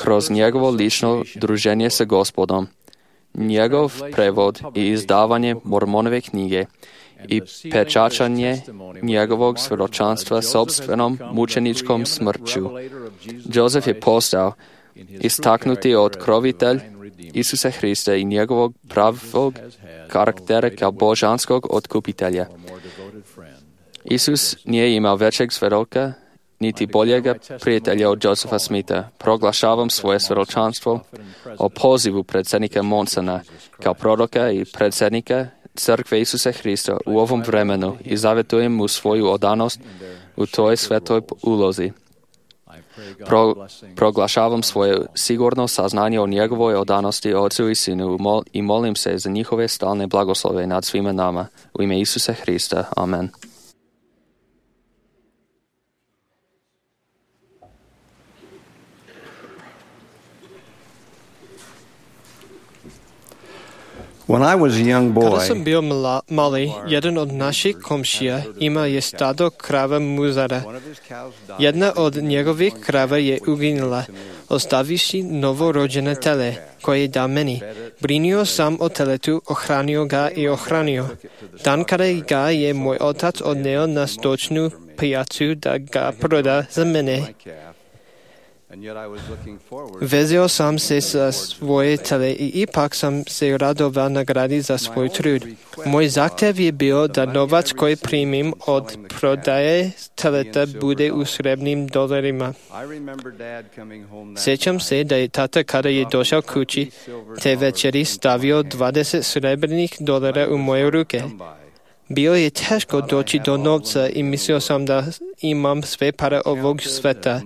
kroz njegovo lično druženje sa Gospodom, njegov prevod i izdavanje Mormonove knjige i pečačanje njegovog svjedočanstva sopstvenom mučeničkom smrću. Josef je postao istaknuti otkrovitelj Isusa Hrista i njegovog pravog karaktera kao božanskog otkupitelja. Isus nije imao većeg svjedoka, niti boljega prijatelja od Josefa Smitha. Proglašavam svoje svjedočanstvo o pozivu predsjednika Monsona kao proroka i predsjednika Crkve Isusa Hrista u ovom vremenu i zavjetujem mu svoju odanost u toj svetoj ulozi. Pro, proglašavam svoje sigurno saznanje o njegovoj odanosti Ocu i Sinu mol, i molim se za njihove stalne blagoslove nad svima nama. U ime Isusa Hrista. Amen. When I was a young boy, Kada sam bio mla, mali, jedan od naših komšija ima je stado krava muzara. Jedna od njegovih krava je uginula, ostavivši novorođene tele, koje je dao meni. Brinio sam o teletu, ohranio ga i ohranio. Dan kada ga je moj otac odneo na stočnu pijacu da ga proda za mene, vezio sam se sa svoje tele i ipak sam se radovao nagradi za svoj trud. Moj zahtjev je bio da novac koji primim od prodaje teleta bude u srebrnim dolarima. Sjećam se da je tata kada je došao kući te večeri stavio dvadeset srebrnih dolara u moje ruke. Bio je teško doći do novca i mislio sam da imam sve pare ovog sveta.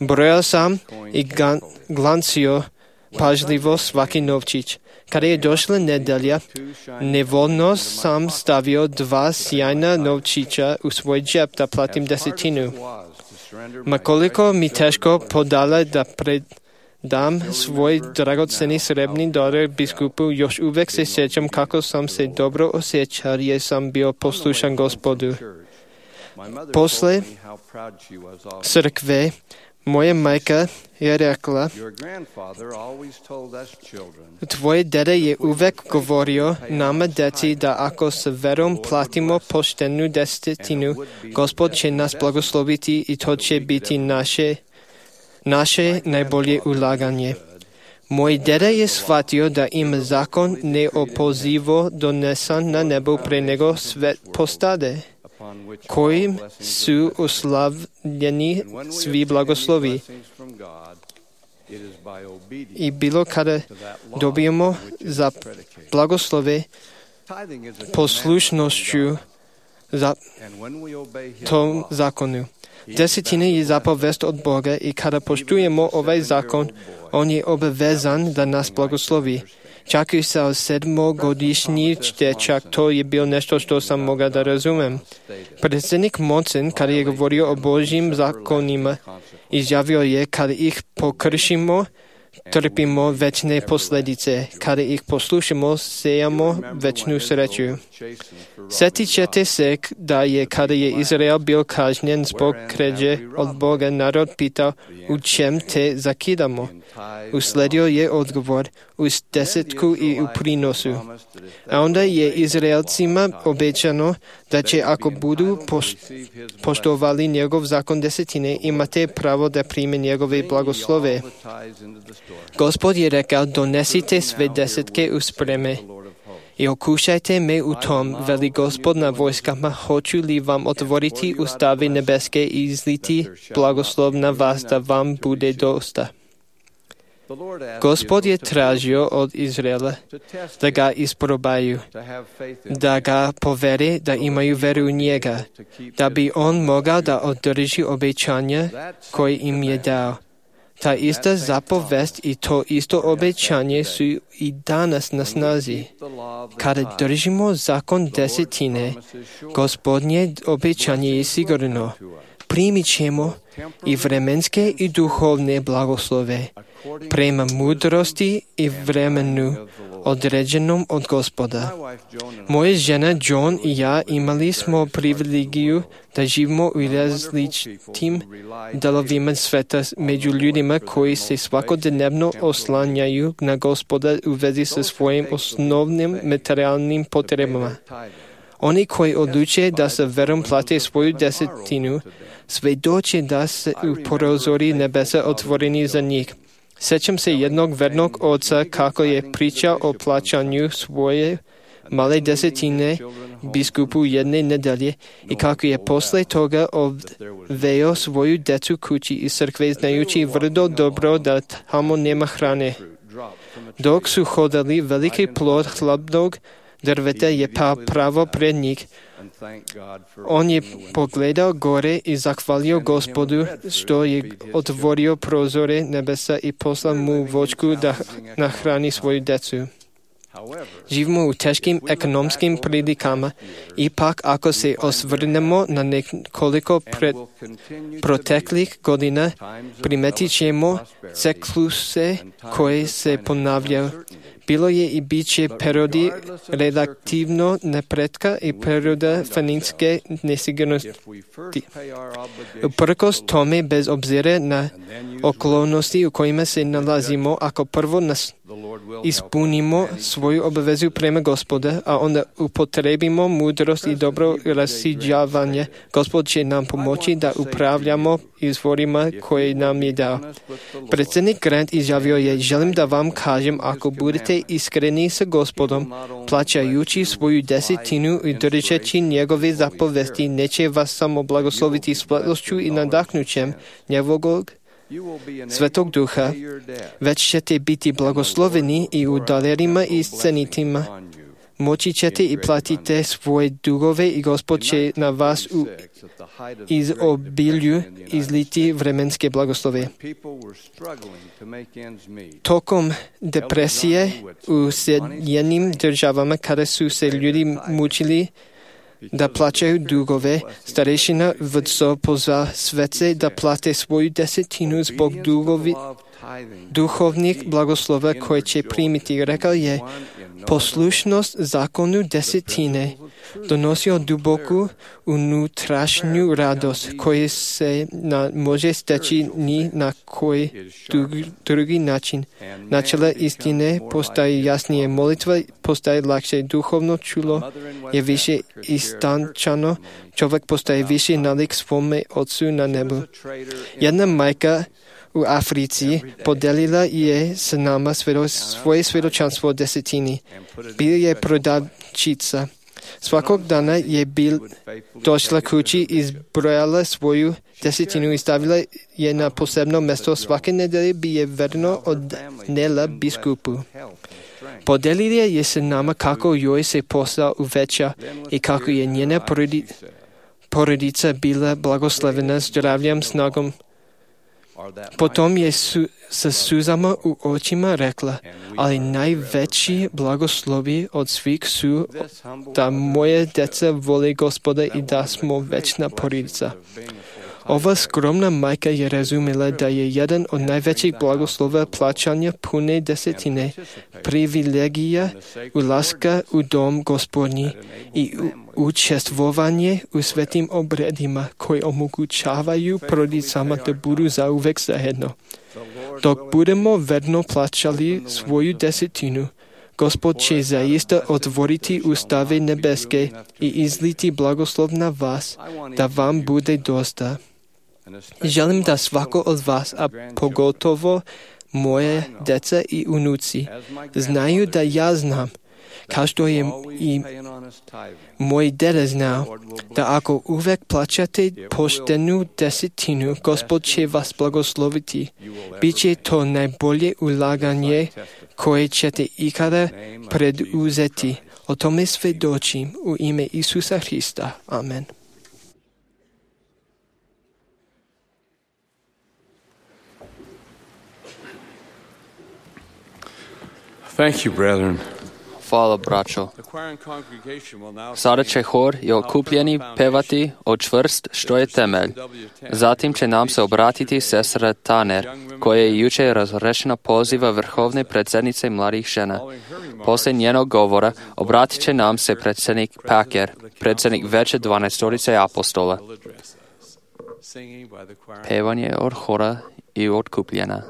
Brojao sam i glancio pažljivo svaki novčić. Kada je došla nedelja, nevoljno sam stavio dva sjajna novčića u svoj džep da platim desetinu. Ma koliko mi teško podala da pred dam svoj dragoceni srebrni dolar biskupu, još uvijek se sjećam kako sam se dobro osjećao jer sam bio poslušan Gospodu. Posle crkve moja majka je rekla, tvoj deda je uvijek govorio nama deci da ako s verom platimo poštenu desetinu, Gospod će nas blagosloviti i to će biti naše naše najbolje ulaganje. Moj deda je shvatio da im zakon neopozivo donesan na nebo pre nego svet postade. коим су уславлени сви благослови. И било каде добиемо за благослове послушностью за том закону. Десетина е заповест от Бога и каде поштуемо овај закон, Он е обвезан да нас благослови. Чак и sa sedmогодишни дечак, то е бил нещо, що sam mogao da razumem. Predsjednik Monson, kada je govorio o Božjim zakonima, izjavio je kada ih pokršimo, trpimo večne posljedice. Kada ih poslušamo, sejamo večnu sreću. Sjetit ćete se da je kada je Izrael bil kažnjen zbog krađe od Boga, narod pitao u čem te zakidamo. Usledio je odgovor u desetku i u prinosu. A onda je Izraelcima obećano da će ako budu poštovali njegov zakon desetine, imate pravo da prime njegove blagoslove. Gospod je rekao, donesite sve desetke u spreme i okušajte me u tom, veli Gospod na vojskama, hoću li vam otvoriti ustave nebeske i izliti blagoslov na vas da vam bude dosta. Gospod je tražio od Izraela da ga isprobaju, da ga povere da imaju veru u njega, da bi on mogao da održi obećanja koje im je dao. Ta ista zapovest i to isto obećanje su i danas na snazi. Kada držimo zakon desetine, Gospodnje obećanje je sigurno. Primit ćemo i vremenske i duhovne blagoslove prema mudrosti i vremenu određenom od Gospoda. Moja žena John i ja imali smo privilegiju da živimo u različitim delovima sveta među ljudima koji se svakodnevno oslanjaju na Gospoda u vezi sa svojim osnovnim materijalnim potrebama. Oni koji odluče da sa verom plate svoju desetinu, svedoče da se u prozori nebesa otvoreni za njih. Sjećam se jednog vernog oca kako je pričao o plaćanju svoje male desetine biskupu jedne nedelje i kako je posle toga odveo svoju decu kući iz crkve znajući vrlo dobro da tamo nema hrane. Dok su hodali, veliki plod hladnog drveta je pao pravo pred njih. On je pogledao gore i zahvalio Gospodu što je otvorio prozore nebesa i poslao mu voćku da nahrani svoju decu. Živimo u teškim ekonomskim prilikama. Ipak, ako se osvrnemo na nekoliko pred, proteklih godina, primetit ćemo cikluse koje se ponavljaju. Bilo je i bit će periodi relativno napretka i perioda financijske nesigurnosti. Uprkos tome, bez obzira na okolnosti u kojima se nalazimo, ako prvo nas ispunimo svoju obavezu prema Gospoda, a onda upotrebimo mudrost i dobro rasiđavanje, Gospod će nam pomoći da upravljamo izvorima koje nam je dao. Predsjednik Grant izjavio je, želim da vam kažem, ako budete iskreni sa Gospodom, plaćajući svoju desetinu i držeći njegove zapovesti, neće vas samo blagosloviti svetlošću i nadahnućem njegovog Svetog Duha, već ćete biti blagosloveni i u dalerima i scenitima. Moći ćete i platite svoje dugove i Gospod će na vas u izobilju izliti vremenske blagoslove. Tokom depresije u Sjedinjenim državama, kada su se ljudi mučili da plaćaju dugove, starešina vdso pozva svece da plate svoju desetinu zbog dugovi, duhovnih blagoslova koje će primiti. Rekao je, poslušnost zakonu desetine donosio duboku unutrašnju radost koja se na, može steći ni na koji drugi način. Načela istine postaje jasnije, molitva postaje lakše, duhovno čulo je više istančano, čovjek postaje više nalik svome Otcu na nebu. Jedna majka u Africi podelila je s nama svedo, svoje svjedočanstvo o desetini. Bila je prodavčica. Svakog dana je bil došla kući, izbrojala svoju desetinu i stavila je na posebno mesto. Svake nedelje bi je verno odnela biskupu. Podelila je se nama kako joj se posao uveća i kako je njena porodica bila blagoslovena zdravljem, snagom. Potom je su, sa suzama u očima rekla, ali najveći blagoslovi od svih su da moje deca vole Gospoda i da smo večna porodica. Ova skromna majka je razumela da je jedan od najvećih blagoslova plaćanja pune desetine, privilegija ulaska u dom Gospodnji i učestvovanje u svetim obredima koji omogućavaju porodicama da budu zauvek zajedno. Dok budemo verno plaćali svoju desetinu, Gospod će zaista otvoriti ustave nebeske i izliti blagoslov na vas, da vam bude dosta. Želim da svako od vas, a pogotovo moje deca i unuci, znaju da ja znam, kao što je i moj deda znao, da ako uvek plaćate poštenu desetinu, Gospod će vas blagosloviti. Biće to najbolje ulaganje koje ćete ikada preduzeti. O tome svedočim u ime Isusa Hrista. Amen. Thank you, brethren. Hvala, braćo. Sada će hor i okupljeni pevati o čvrst što je temelj. Zatim će nam se obratiti sestra Tanner, koja je jučer razrešena poziva vrhovne predsjednice mladih žena. Poslije njenog govora obratit će nam se predsjednik Packer, predsjednik veće dvanaestorice apostola. Pevanje od hora i od kupljena.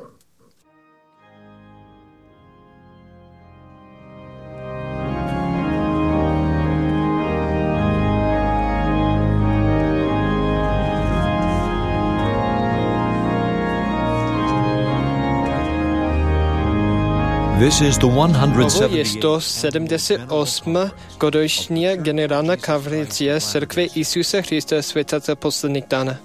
This is the Ovo je sto sedamdeset osma godišnja generalna konferencija Crkve Isusa Hrista Svetaca poslednjih dana.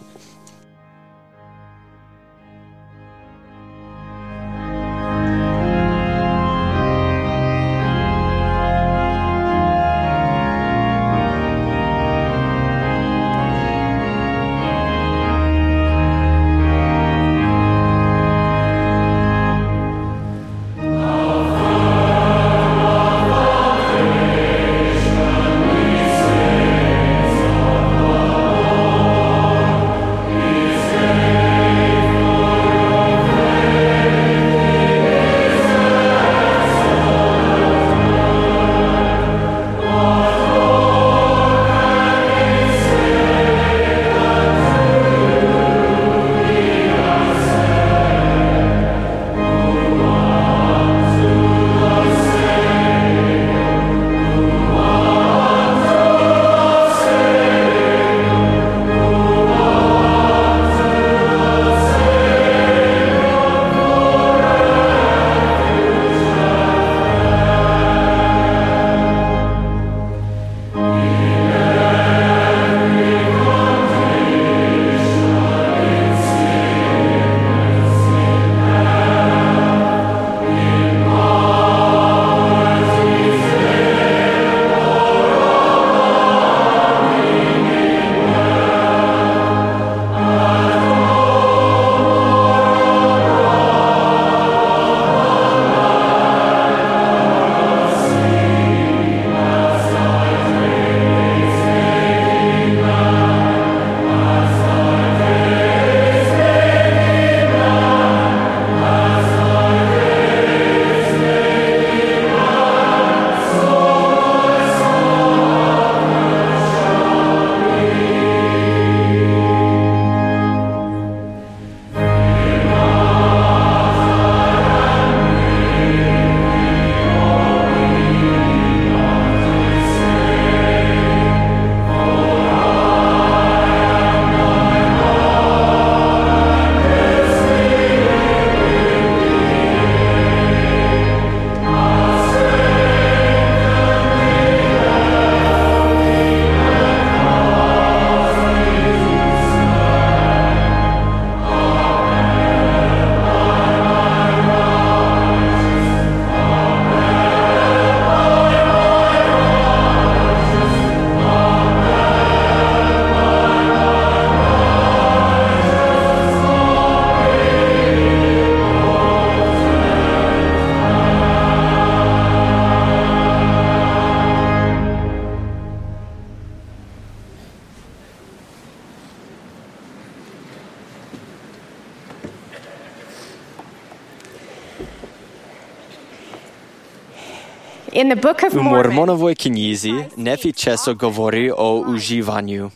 In the Book of U Mormon, Mormonovoj knjizi Nefi često govori o uživanju.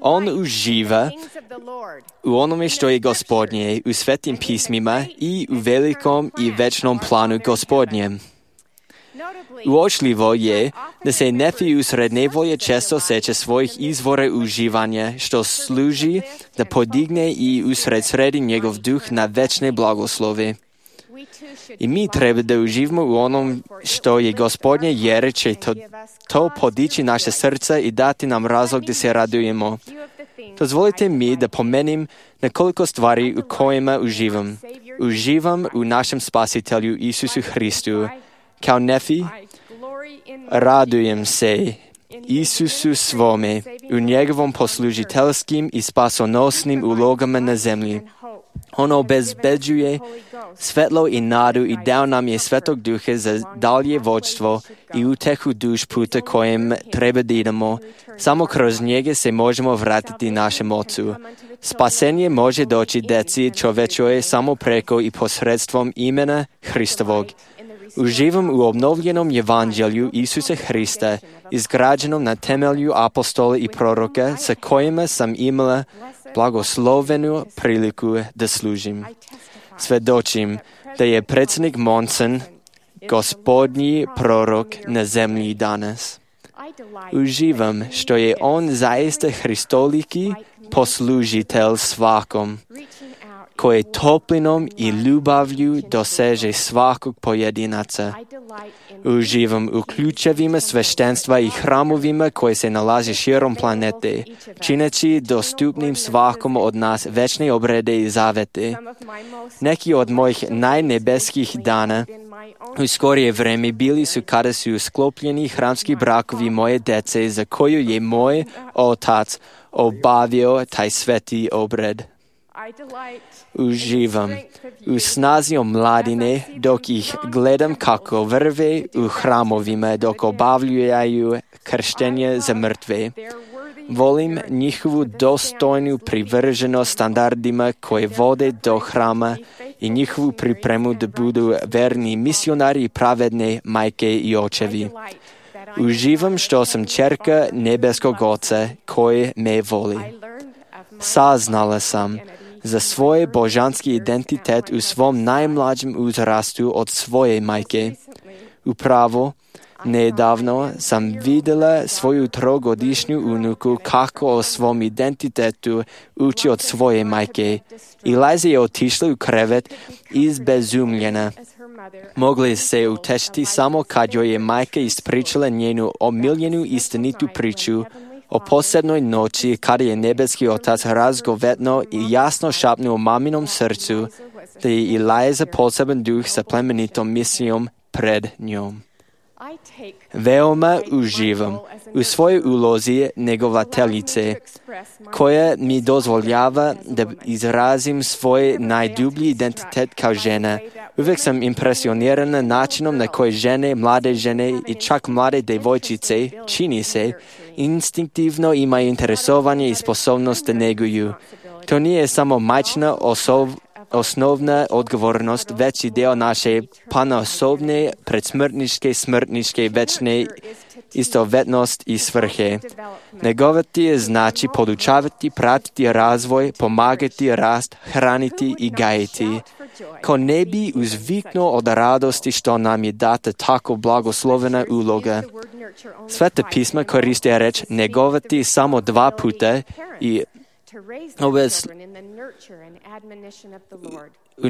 On uživa u onome što je Gospodnje, u svetim pismima i u velikom i večnom planu Gospodnjem. Uočljivo je da se Nefi usred nevolje često seća svojih izvora uživanja, što služi da podigne i usred sredi njegov duh na večne blagoslove. I mi treba da uživamo u onom što je Gospodnje, jer će to, to podići naše srca i dati nam razlog da se radujemo. Dozvolite mi da pomenim nekoliko stvari u kojima uživam. Uživam u našem Spasitelju Isusu Hristu. Kao Nefi, radujem se Isusu svome u njegovom poslužiteljskim i spasonosnim ulogama na zemlji. On obezbeđuje svetlo i nadu i dao nam je Svetog Duha za dalje vođstvo i utehu duš puta kojem treba da idemo. Samo kroz njega se možemo vratiti našem Ocu. Spasenje može doći deci čovečoj samo preko i posredstvom imena Hristovog. Uživam u obnovljenom evanđelju Isusa Hrista, izgrađenom na temelju apostola i proroka, sa kojima sam imala blagoslovenu priliku da služim. Svedočim da je predsjednik Monson Gospodnji prorok na zemlji danas. Uživam što je on zaista hristoliki poslužitelj svakom, koji toplinom i ljubavlju doseže svakog pojedinaca. Uživam u ključevima sveštenstva i hramovima koje se nalaze širom planete, čineći dostupnim svakom od nas večne obrede i zavete. Neki od mojih najnebeskih dana u skorije vreme bili su kada su sklopljeni hramski brakovi moje dece, za koju je moj otac obavio taj sveti obred. Uživam u snazi omladine dok ih gledam kako vrve u hramovima dok obavljaju krštenje za mrtve. Volim njihovu dostojnu privrženost standardima koje vode do hrama i njihovu pripremu da budu verni misionari i pravedne majke i očevi. Uživam što sam ćerka nebeskog Oca koji me voli. Saznala sam za svoj božanski identitet u svom najmlađem uzrastu od svoje majke. Upravo, nedavno sam vidjela svoju trogodišnju unuku kako o svom identitetu uči od svoje majke. I Liza je otišla u krevet izbezumljena. Mogli se utešiti samo kad joj je majka ispričala njenu omiljenu istinitu priču o posebnoj noći kada je nebeski Otac razgovetno i jasno šapnuo maminom srcu da je i Liza poseban duh sa plemenitom misijom pred njom. Veoma uživam u svojoj ulozi njegovateljice, koja mi dozvoljava da izrazim svoj najdublji identitet kao žena. Uvijek sam impresionirana načinom na koji žene, mlade žene i čak mlade devojčice, čini se, instinktivno imaju interesovanje i sposobnost da neguju. To nije samo majčina osov, osnovna odgovornost, već i deo naše panaosobne, predsmrtničke, smrtničke, večne istovetnost i svrhe. Negovati je znači podučavati, pratiti razvoj, pomagati rast, hraniti i gajiti. Ko ne bi uzviknuo od radosti što nam je data tako blagoslovena uloga. Sveta pisma koriste reč negovati samo dva puta i ove u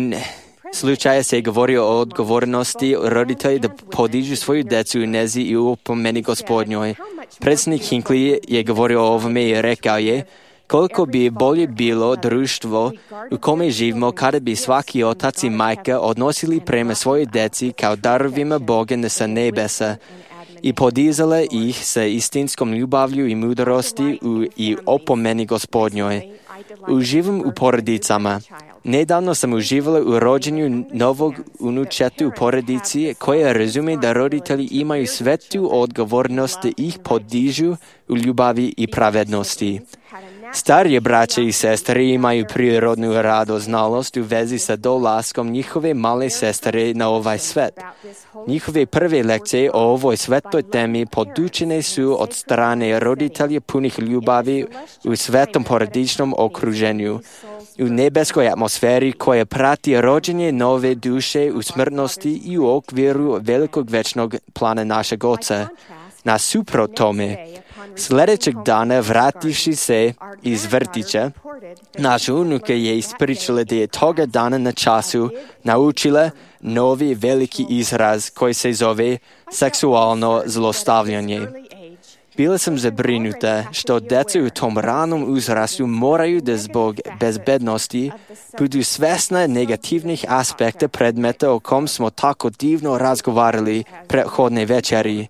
slučaju se govori o odgovornosti roditelja da podižu svoju decu u nezi i u pomeni Gospodnjoj. Predsjednik Hinckley je govorio o ovome i rekao je: koliko bi bolje bilo društvo u kome živimo kada bi svaki otac i majka odnosili prema svojoj deci kao darovima Boga sa nebesa i podizale ih sa istinskom ljubavlju i mudrosti u, i opomeni Gospodnjoj. Uživam u porodicama. Nedavno sam uživala u rođenju novog unučeta u porodici koja razume da roditelji imaju svetu odgovornost da ih podižu u ljubavi i pravednosti. Старі braće i sestre imaju prirodnu radoznalost u vezi sa dolaskom njihove male sestre na ovaj svet. Njihove prve lekcije o ovoj svetoj temi podučene su od strane roditelja punih ljubavi u svetom porodičnom okruženju, u nebeskoj atmosferi koja prati rođenje nove duše u smrtnosti i u okviru velikog večnog plana našeg Oca. Nasuprot tome, sljedećeg dana vrativši se iz vrtića, naša unuka je ispričala da je toga dana na času naučila novi veliki izraz koji se zove seksualno zlostavljanje. Bila sam zabrinuta što djeca u tom ranom uzrastu moraju da zbog bezbednosti budu svesna negativnih aspekta predmeta o kom smo tako divno razgovarali prethodne večeri.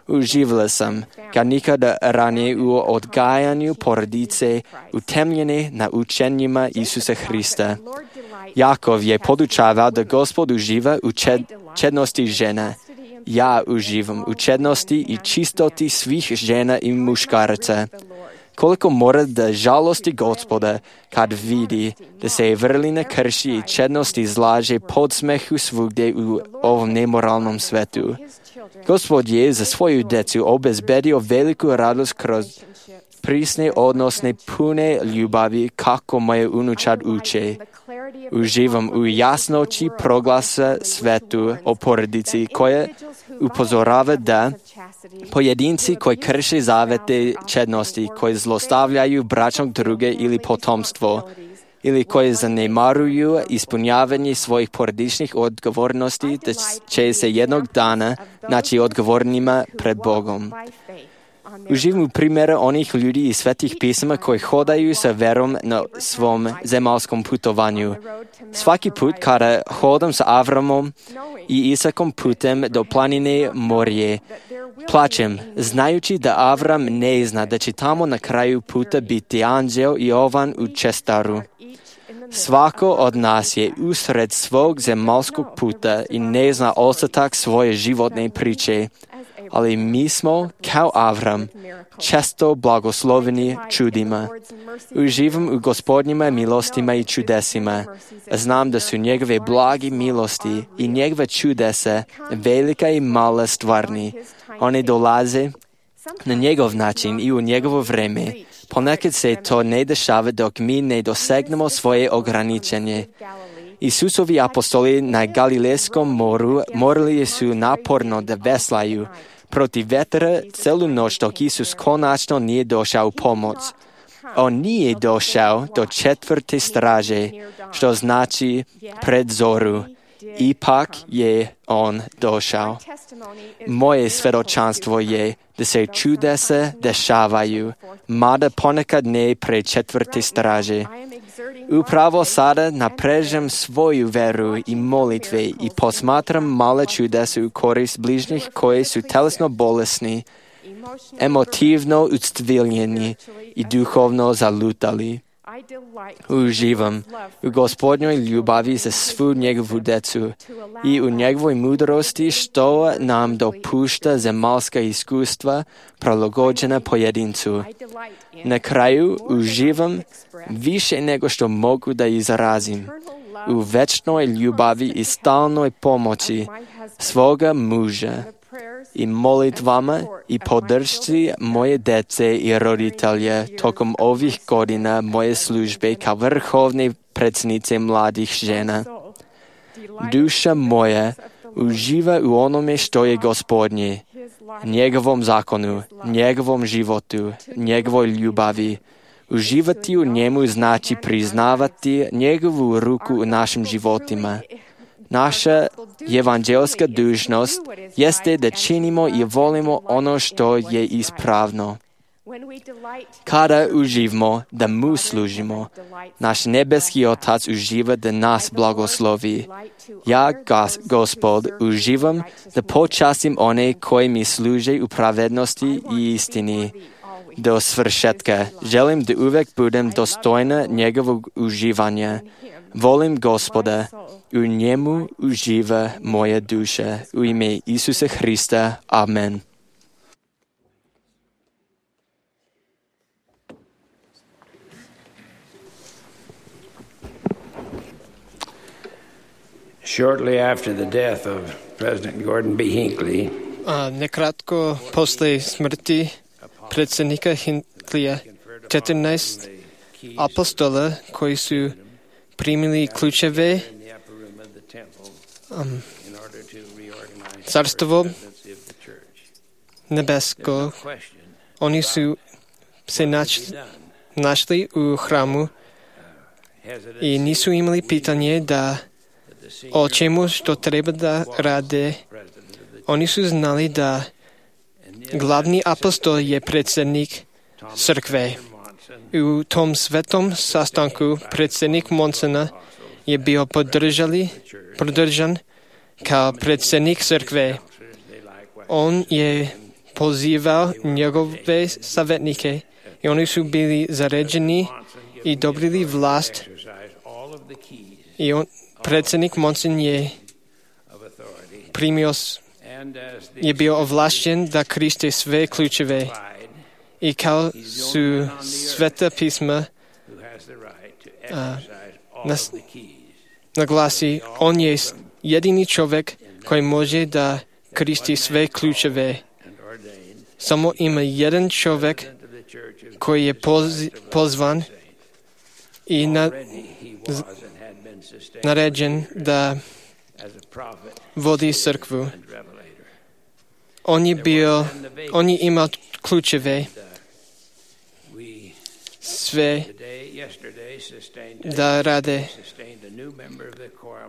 Uživala sam, kad nikada ranije u odgajanju porodice utemljene na učenjima Isusa Hrista. Jakov je podučavao da Gospod uživa u čed, čednosti žena. Ja uživam u čednosti i čistoti svih žena i muškaraca. Koliko mora da žalosti Gospoda kad vidi da se vrlina krši i čednost izlaže podsmehu svugdje u ovom nemoralnom svetu. Gospod je za svoju djecu obezbedio veliku radost kroz prisne odnosne pune ljubavi kako moje unučad uče. Uživam u jasnoći proglasa svetu o porodici koja upozorava da pojedinci koji krše zavete čednosti, koji zlostavljaju bračnog druge ili potomstvo, ili koji zanemaruju ispunjavanje svojih porodičnih odgovornosti, da će se jednog dana naći odgovornima pred Bogom. Uživam u primjera onih ljudi iz svetih pisama koji hodaju sa verom na svom zemaljskom putovanju. Svaki put kada hodam sa Avramom i Isakom putem do planine Morije, plačem, znajući da Avram ne zna da će tamo na kraju puta biti anđeo i ovan u čestaru. Svako od nas je usred svog zemaljskog puta i ne zna ostatak svoje životne priče, ali mi smo, kao Avram, često blagosloveni čudima. Uživam u Gospodnjima milostima i čudesima. Znam da su njegove blagi milosti i njegove čudesa velika i mala stvarni. One dolaze na njegov način i u njegovo vreme. Ponekad se to ne dešava dok mi ne dosegnemo svoje ograničenje. Isusovi apostoli na Galilejskom moru morali su naporno da veslaju protiv vetra celu noć dok Isus konačno nije došao u pomoć. On nije došao do četvrte straže, što znači pred zoru. Ipak je on došao. Moje svjedočanstvo je da se čudesa dešavaju, mada ponekad ne pred četvrte straže. Upravo sada naprežem svoju veru i molitve i posmatram male čudesa u korist bližnjih koji su telesno bolesni, emotivno uctviljeni i duhovno zalutali. Uživam u Gospodnjoj ljubavi za svu njegovu djecu i u njegovoj mudrosti što nam dopušta zemaljska iskustva prilagođena pojedincu. Na kraju uživam više nego što mogu da izrazim u večnoj ljubavi i stalnoj pomoći svoga muža i molitvama i podršci moje djece i roditelja tokom ovih godina moje službe kao vrhovne predsjednice mladih žena. Duša moja uživa u onome što je Gospodnje, njegovom zakonu, njegovom životu, njegovoj ljubavi. Uživati u njemu znači priznavati njegovu ruku u našim životima. Naša evanđelska dužnost jeste da činimo i volimo ono što je ispravno. Kada uživamo da mu služimo, naš nebeski Otac uživa da nas blagoslovi. Ja, Gospod, uživam da počastim one koji mi služe u pravednosti i istini. Do svršetka želim da uvek budem dostojna njegovog uživanja. Volim Gospoda, u njemu uživa moja duša. U ime Isusa Hrista. Amen. Shortly after the death of President Gordon B. Hinckley, A nekratko posle smrti predsjednika Hinckleyja, četrnaest apostola koji su primili ključeve um, carstvo nebesko, oni su se našli, našli u hramu i nisu imali pitanje da o čemu što treba da rade. Oni su znali da glavni apostol je predsjednik crkve. U tom svetom sastanku predsjednik Monsona je bio podržali, podržan kao predsjednik crkve. On je pozivao njegove savjetnike i oni su bili zaređeni i dobili vlast. I on, predsjednik Monson je primio, je bio ovlašćen da koriste sve ključeve. I kao su sveta pisma a, nas, naglasi, on je jedini čovjek koji može da koristi sve ključeve. Samo ima jedan čovjek koji je poz, pozvan i na, z, naređen da vodi crkvu. On je bio, on je imao ključeve sve da rade.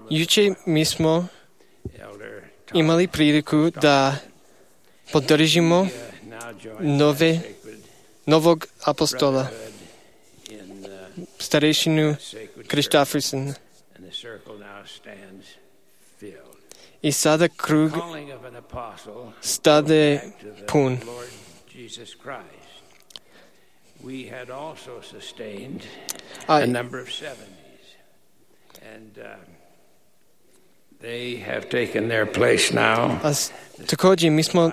Juče mi smo imali priliku da podržimo nove, novog apostola, starešinu Kristofferson. I sada krug stade pun. We had also sustained A, a number of seventies, and uh, they have taken their place now. a također mi smo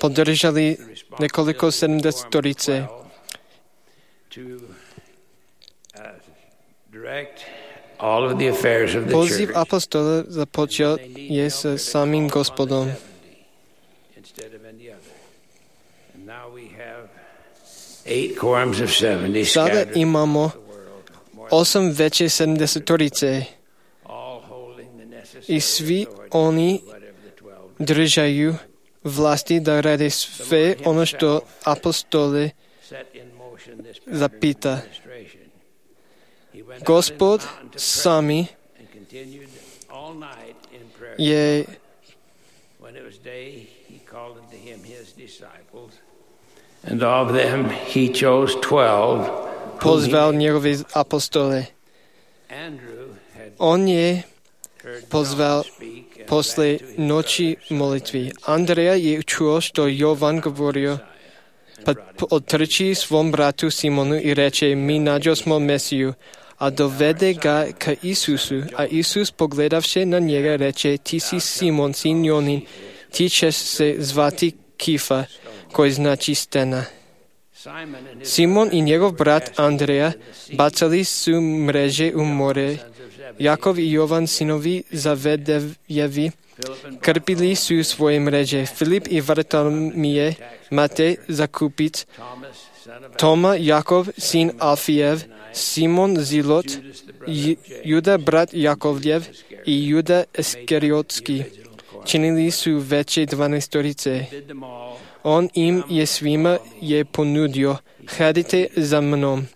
podržali nekoliko sedamdesetorice. To uh, direct all of the affairs of the Poziv church apostola započeo je sa samim Gospodom. instead of any other. And now we have eight quorums of seventy Sada scattered imamo throughout the world, more osam veće sedamdesetorice all holding the necessary i svi authority oni of whatever the twelve držaju vlasti da rade sve ono što apostole set in motion this zapita. administration. He went out Gospod into the mountain to sami pray and continued all night in prayer. je When it was day, he called unto him his disciples, and of them he chose twelve. pozval njegove apostole. Andrew had On je heard pozval John speak and posle back to his noći brothers, molitvi. Andreja je čuo što Jovan govorio, pa otrči svom bratu Simonu i reče, mi nađo smo Mesiju, a dovede ga ka Isusu. A Isus pogledavše na njega reče, ti si Simon, sin Jonin, ti ćeš se zvati Kifa, koji znači stena. Simon i njegov brat Andreja bacali su mreže u more. Jakov i Jovan, sinovi Zavedejevi, krpili su svoje mreže. Filip i Vartolomije, Matej Zakupic, Toma, Jakov, sin Alfijev, Simon Zilot, Juda, brat Jakovljev i Juda Iskariotski. Činili su veće dvanaestorice. On im je svima je ponudio, hadite za mnom.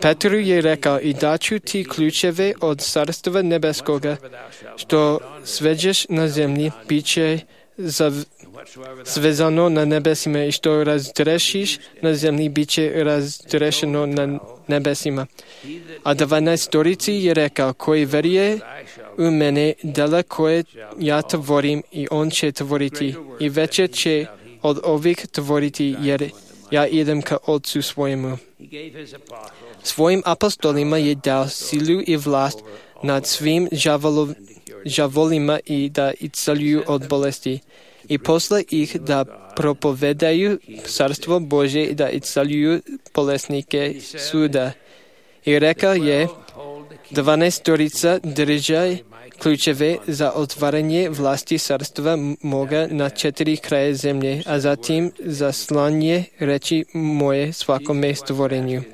Petru je rekao, i daću ti ključeve od carstva nebeskoga, što sveđeš na zemlji, bit će zav, svezano na nebesima, i što razdrešiš na zemlji, bit će razdrešeno na nebesima. A dvanaestorici je rekao, koji veruje u mene, dela koje ja tvorim, i on će tvoriti, i veće će od ovih tvoriti, jer ja idem ka Otcu svojemu. Svojim apostolima je dao silu i vlast nad svim žavolov, žavolima i da isceljuju od bolesti. I posle ih da propovedaju carstvo Božje i da isceljuju bolesnike suda. I rekao je, dvanaestorica držaj Ключове за отваряне власти царства Бога на четири края землі, а затим за слание речи Мое свакоме створению.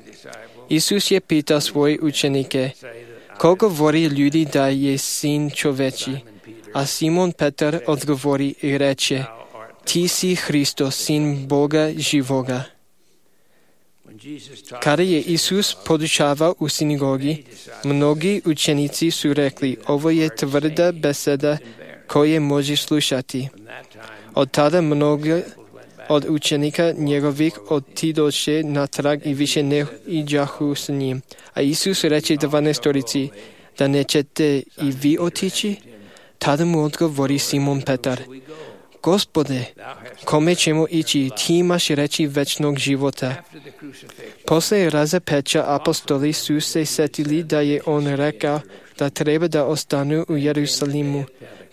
Исус je питал свои ученики: колко говори люди да е Син човечи? А Симон Петър отговори и рече: Ти си Христос, Син Бога живога. Kada je Isus podučavao u sinagogi, mnogi učenici su rekli: ovo je tvrda beseda koje može slušati. Od tada mnogi od učenika njegovih otidoše natrag i više ne iđahu s njim. A Isus reče dvanaestorici: da nećete i vi otići? Tada mu odgovori Simon Petar: Gospode, kome ćemo ići? Ti imaš reči večnog života. Posle razapeča apostoli su se setili da je on rekao da treba da ostanu u Jerusalimu.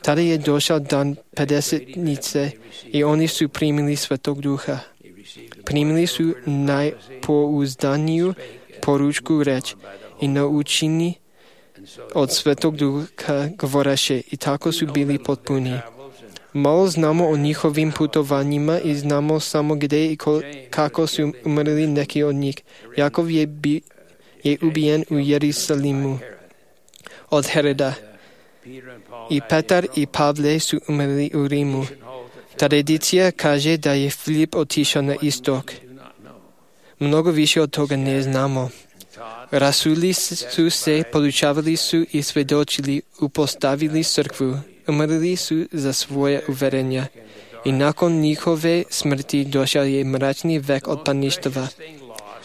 Tada je došao dan pedesetnice i oni su primili Svetog Duha. Primili su najpouzdaniju poručku reč i naučeni od Svetog Duha govoreše, i tako su bili potpuni. Malo znamo o njihovim putovanjima i znamo samo gdje i kako su umrli neki od njih. Jakov je, bi, je ubijen u Jerusalimu od Heroda. I Petar i Pavle su umrli u Rimu. Tradicija kaže da je Filip otišao na istok. Mnogo više od toga ne znamo. Rasuli su se, podučavali su i svedočili, upostavili crkvu. Umrli su za svoje uverenja i nakon njihove smrti došao je mračni vek otpadništva.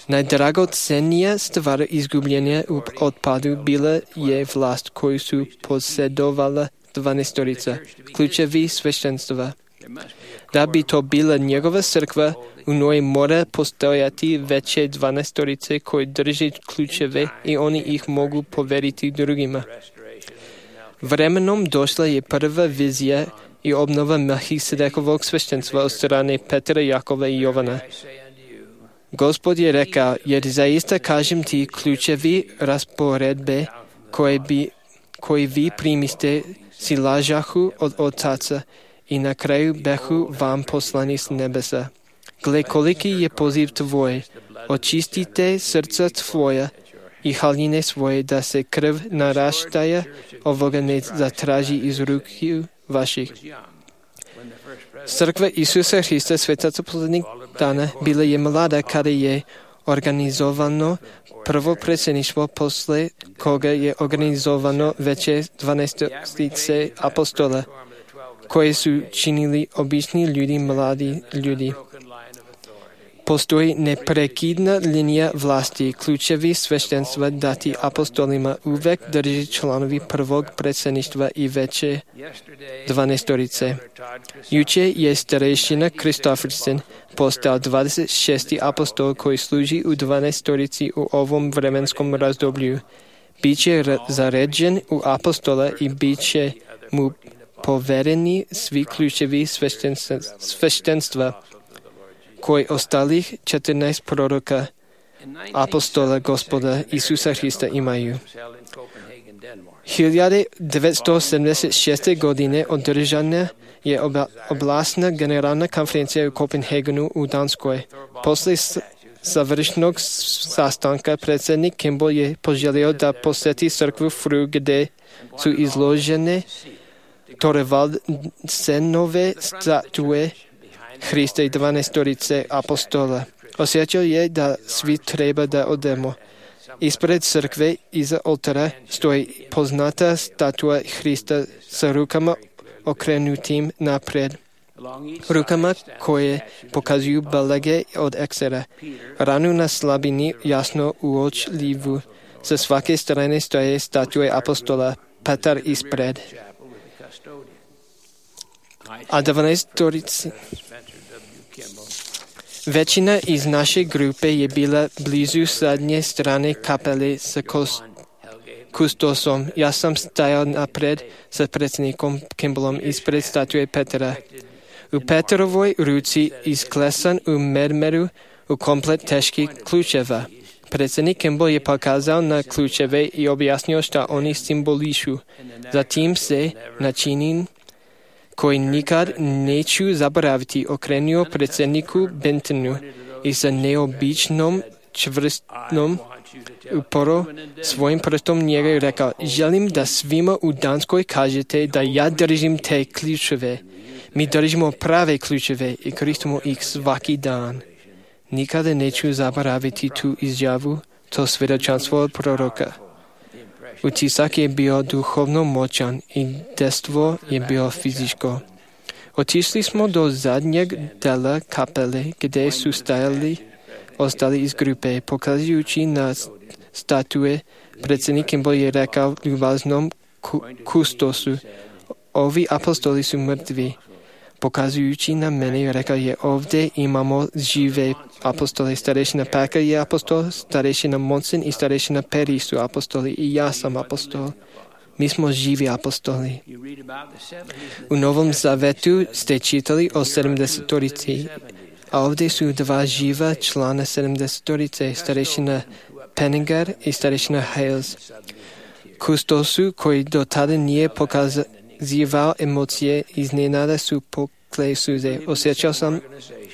Najdragocenija stvar izgubljenja u otpadu bila je vlast koju su posjedovala dvanaestorica, ključevi sveštenstva. Da bi to bila njegova crkva, u njoj mora postojati veće dvanaestorice koji drži ključeve i oni ih mogu poveriti drugima. Vremenom došla je prva vizija i obnova Melchisedekovog sveštenstva od strane Petra, Jakova i Jovana. Gospod je rekao: jer zaista kažem ti, ključevi rasporedbe koje, bi, koje vi primiste si lažahu od otaca i na kraju behu vam poslani s nebesa. Gle, koliki je poziv tvoj, očistite srca tvoja i haljine svoje, da se krv naraštaja ovoga ne zatraži iz ruku vaših. Crkva Isusa Hrista svetaca poslednjih dana bila je mlada kada je organizovano prvo predsjedništvo, posle koga je organizovano veće dvanaestorice apostola, koje su činili obični ljudi, mladi ljudi. Postoji neprekidna linija vlasti, ključevi sveštenstva dati apostolima uvek drži članovi prvog predsjedništva i veće dvanaestorice. Juče je starešina Kristofferson postao dvadeset šesti apostol koji služi u dvanaestorici u ovom vremenskom razdoblju. Biće zaređen u apostola i biće mu povereni svi ključevi sveštenstva koji ostalih četrnaest proroka apostola Gospoda Isusa Hrista imaju. hiljadu devetsto sedamdeset šeste. godine održana je oblastna generalna konferencija u Kopenhagenu u Danskoj. Posle završnog sastanka predsjednik Kimball je poželio da posjeti crkvu Fru gdje su izložene Torvaldsenove statue Hrista i dvanaestorice apostola. Osjećao je da svi treba da odemo. Ispred crkve iza oltara stoji poznata statua Hrista sa rukama okrenutim napred. Rukama koje pokazuju belege od eksera. Ranu na slabini jasno uočljivu. Sa svake strane stoje statue apostola, Petar ispred. A dvanaestorici većina iz naše grupe je bila blizu zadnje strane kapele sa kustosom. Ja sam stajao napred sa predsjednikom Kimballom ispred statue Petra. U Petrovoj ruci isklesan u mermeru u komplet teških ključeva. Predsjednik Kimball je pokazal na ključeve i objasnio šta oni simbolišu. Zatim se načinin koji nikad neću zaboraviti okrenuo predsjedniku Bentonu i sa neobičnom čvrstnom uporo svojim prstom njega i rekao: želim da svima u Danskoj kažete da ja držim te ključeve. Mi držimo prave ključeve i koristimo ih svaki dan. Nikada neću zaboraviti tu izjavu, to svjedočanstvo od proroka. Utisak je bio duhovno moćan i dejstvo je bilo fizičko. Otišli smo do zadnjeg dela kapele, gdje su stajali ostali iz grupe. Pokazujući na statue, predsjednik Kimball je rekao ljubaznom kustosu: ovi apostoli su mrtvi. Pokazujući na mene, rekao je: ovdje imamo žive apostole. Starešina Packer je apostol, starešina Monson i starešina Perry su apostoli i ja sam apostol. Mi smo živi apostoli. U Novom Zavetu ste čitali o sedamdesetorici, a ovdje su dva živa člana sedamdesetorice, starešina Penninger i starešina Hales. Kustosu, koji do tada nije pokazivao emocije, iznenada su pokle suze. Osjećao sam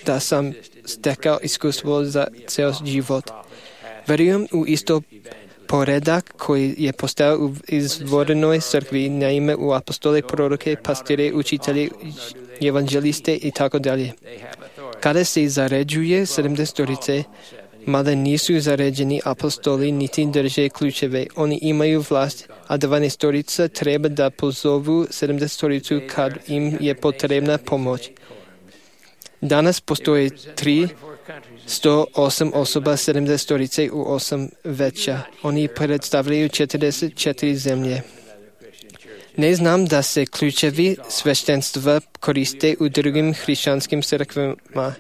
da sam stekao iskustvo za ceo život. Verujem u isto poredak koji je postao u izvornoj crkvi, na ime u apostole, proroke, pastire, učitelje, evanđeliste i tako dalje. Kada se zaređuje sedamdesetorice, mada nisu zaređeni apostoli niti drže ključeve, oni imaju vlast, a dvanaestorica treba da pozovu sedamdesetoricu kad im je potrebna pomoć. Danas postoje tri sto osam osoba sedamdesetorice u osam veća. Oni predstavljaju četrdeset četiri zemlje. Ne znam da se ključevi sveštenstva koriste u drugim hrišćanskim crkvama.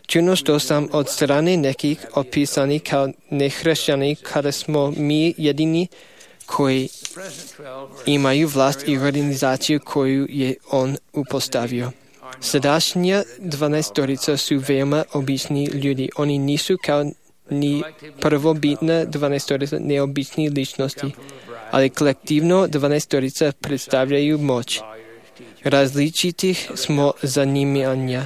Čuno što sam od strane nekih opisani kao nehrišćani, kada smo mi jedini koji imaju vlast i organizaciju koju je on upostavio. Sadašnja dvanaestorica su veoma obični ljudi. Oni nisu kao ni prvobitna dvanaestorica neobični ličnosti, ali kolektivno dvanaestorica predstavljaju moć. Različitih smo zanimanja.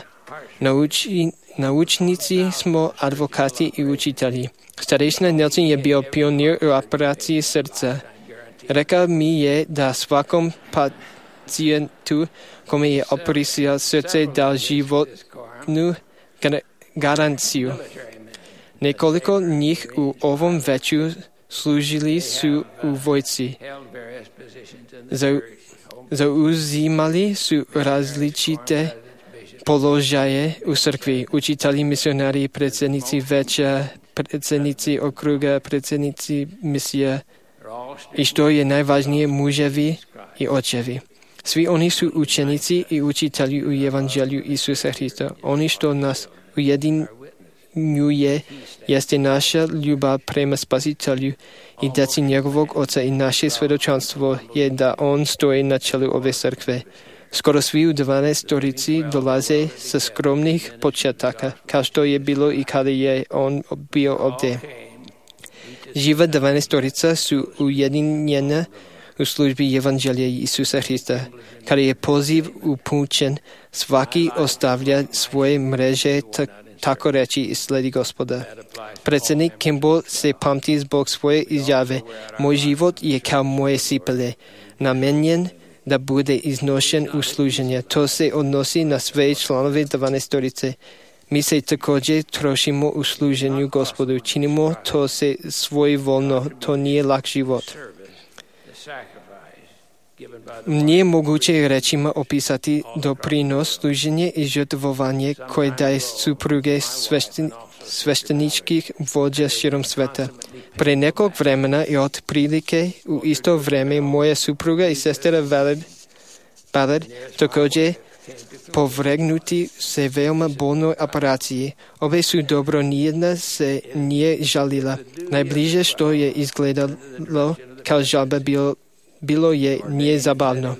Nauči, naučnici smo advokati i učitelji. Starešina Nelson je bio pionir u operaciji srca. Rekao mi je da svakom pacijentu kome je operacija srce dal životnu garanciju. Nekoliko njih u ovom veću služili su u vojci. Zauzimali su različite položaje u crkvi, učitelji, misionari, predsjednici veća, predsjednici okruga, predsjednici misija i što je najvažnije, muževi i očevi. Svi oni su učenici i učitelji u evanđelju Isusa Hrista. Oni što nas ujedinjuje jeste naša ljubav prema Spasitelju i djeci njegovog Oca, i naše svjedočanstvo je da on stoji na čelu ove crkve. Skoro svi u dvanaestorici dolaze sa skromnih početaka, kao što je bilo i kada je on bio ovdje. Živa dvanaestorica su ujedinjena u službi evanđelja Isusa Hrista. Kada je poziv upućen, svaki ostavlja svoje mreže, t- tako reći, i sledi Gospoda. Predsjednik Kimball se pamti zbog svoje izjave: moj život je kao moje cipele, namenjen da bude iznošen u služenje. To se odnosi na sve članove dvanaestorice. Mi se također trošimo u služenju Gospodu. Činimo to se svojevoljno. To nije lak život. Nije moguće rečima opisati doprinos, služenje i žrtvovanje koje daje supruge svešten, svešteničkih vođa širom sveta. Pre nekog vremena i od prilike u isto vreme moja supruga i sestra Ballard, Ballard također povregnuti se veoma bolnoj operaciji. Obe su dobro, nijedna se nije žalila. Najbliže što je izgledalo kao žalba bilo, bilo je nije zabavno.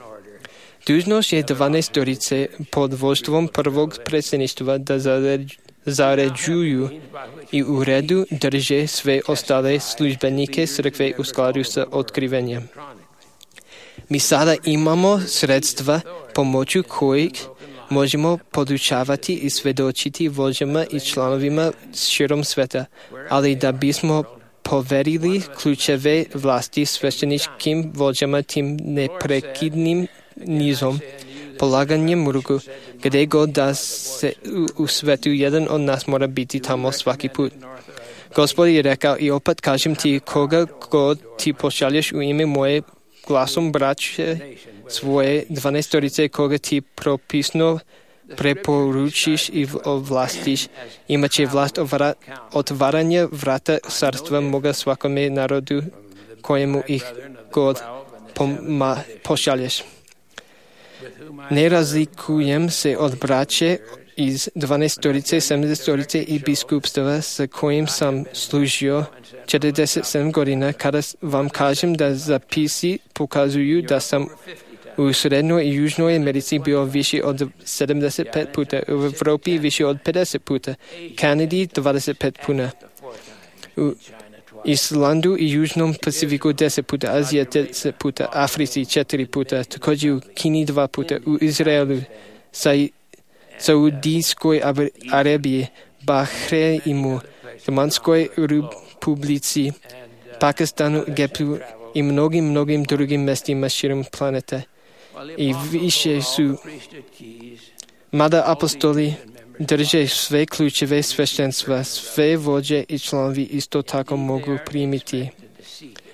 Dužnost je dvanaestorice pod vođstvom prvog predsjedništva da zaređuju i u redu drže sve ostale službenike crkve u skladu sa otkrivenjem. Mi sada imamo sredstva pomoću kojih možemo podučavati i svedočiti vođama i članovima širom sveta, ali da bismo poverili ključeve vlasti svešteničkim vođama tim neprekidnim nizom, polaganjem ruku, gdje god da se u, u svetu jedan od nas mora biti tamo svaki put. Gospod je rekao i opet kažem ti, koga god ti pošalješ u ime moje glasom braće svoje dvanaestorice, koga ti propisno preporučiš i ovlastiš, imat će vlast otvaranja vrata carstva moga svakome narodu kojemu ih god poma, pošalješ. Ne razlikujem se od braće iz dvanaestorice, sedamnaestorice i biskupstava sa kojim sam služio četrdeset sedam godina, kada vam kažem da zapisi pokazuju da sam u Srednjoj i Južnoj Americi bio više od sedamdeset pet puta, u Evropi više od pedeset puta, Kanadi dvadeset pet puta, u Islandu i Južnom Pacifiku deset puta, Azija deset puta, Africi četiri puta, također u Kini dva puta, u Izraelu, Saudijskoj Arabiji, Bahreimu, Domanskoj Republici, Pakistanu, Egiptu i mnogim, mnogim drugim mestima širom planete. I više su, mada apostoli drže sve ključeve sveštenstva, sve vođe i članovi isto tako mogu primiti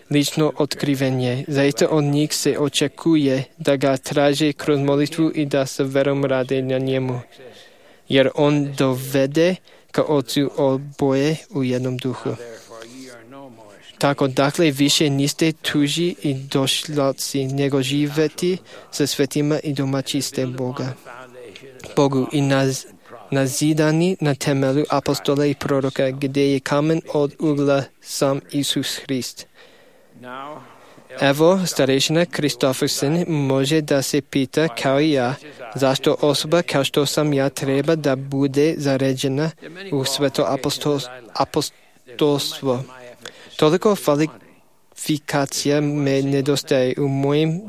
lično otkrivenje. Zaista od njih se očekuje da ga traže kroz molitvu i da sa verom rade na njemu, jer on dovede ka Otcu oboje u jednom duhu. Tako dakle više niste tuži i došlaci, nego živeti sa svetima i domaći ste Boga. Bogu i naz, nazidani na temelju apostola i proroka, gdje je kamen od ugla sam Isus Hrist. Evo, starešina Kristofersen može da se pita kao i ja, zašto osoba kao što sam ja treba da bude zaređena u sveto apostol, apostolstvo. Toliko kvalifikacija me nedostaje u mojim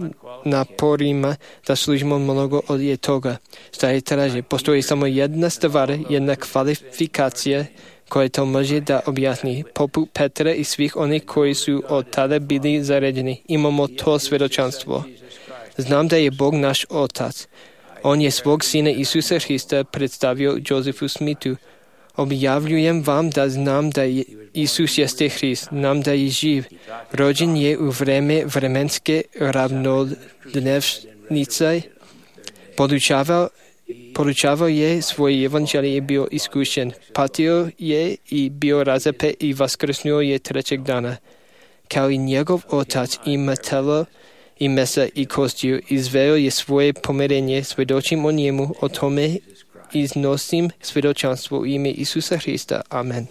naporima da služimo mnogo od toga. Šta je traže? Postoji samo jedna stvar, jedna kvalifikacija koja to može da objasni. Poput Petra i svih onih koji su od tada bili zaređeni. Imamo to svjedočanstvo. Znam da je Bog naš Otac. On je svog Sina Isusa Hrista predstavio Josefu Smithu. Objavljujem vam da znam da je Isus jeste Hrist, znam da je živ. Rođen je u vreme vremenske ravnodnevnice. Podučavao, podučavao je svoje evanđelje i bio iskušen. Patio je i bio razapet i vaskrsnuo je trećeg dana. Kao i njegov Otac ima telo i mesa i kostiju, izveo je svoje pomirenje, svjedočim o njemu, o tome iznosim svjedočanstvo u ime Isusa Hrista. Amen.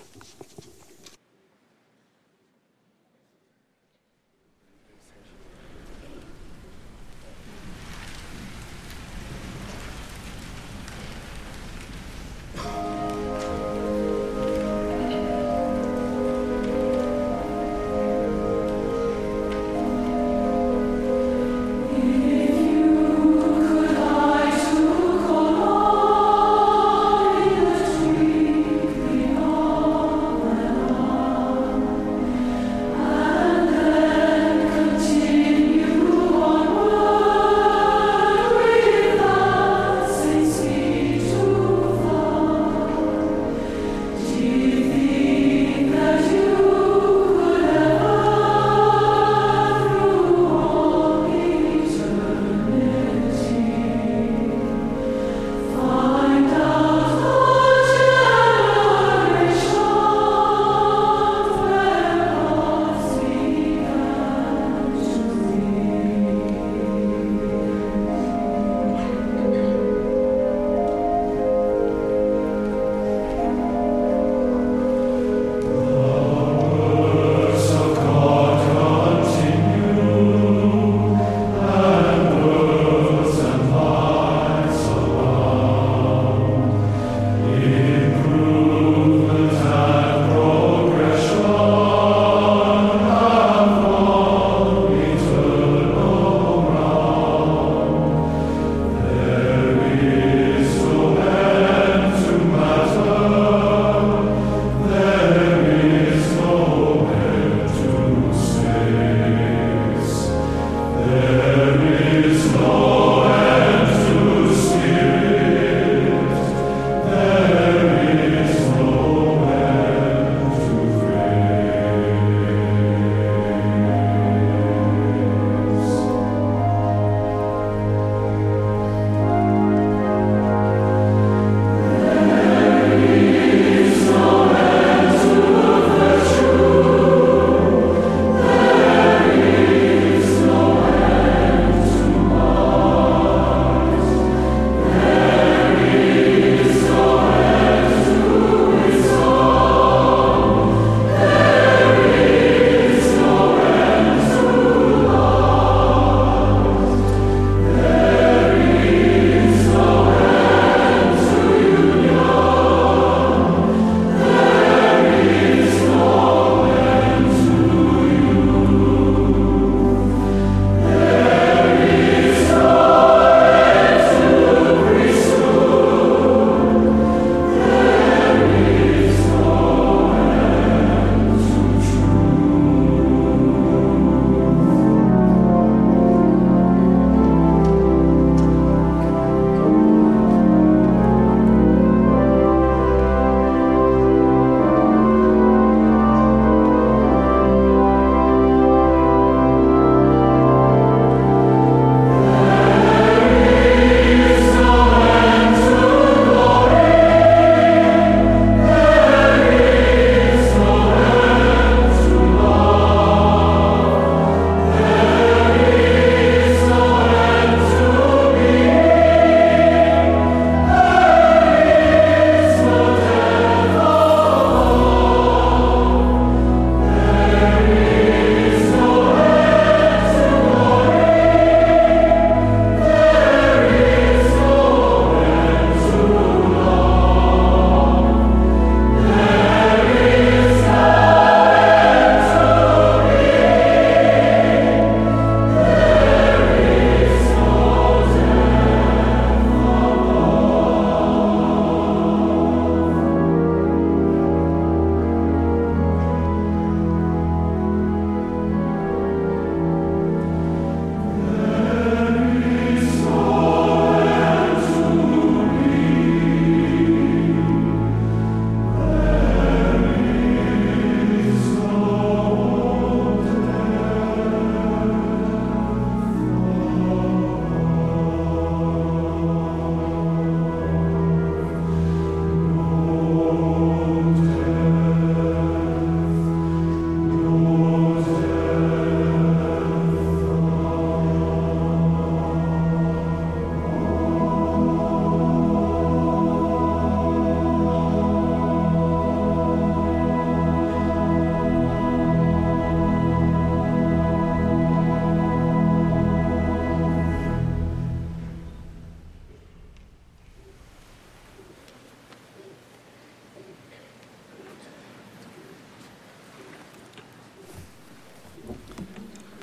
Oh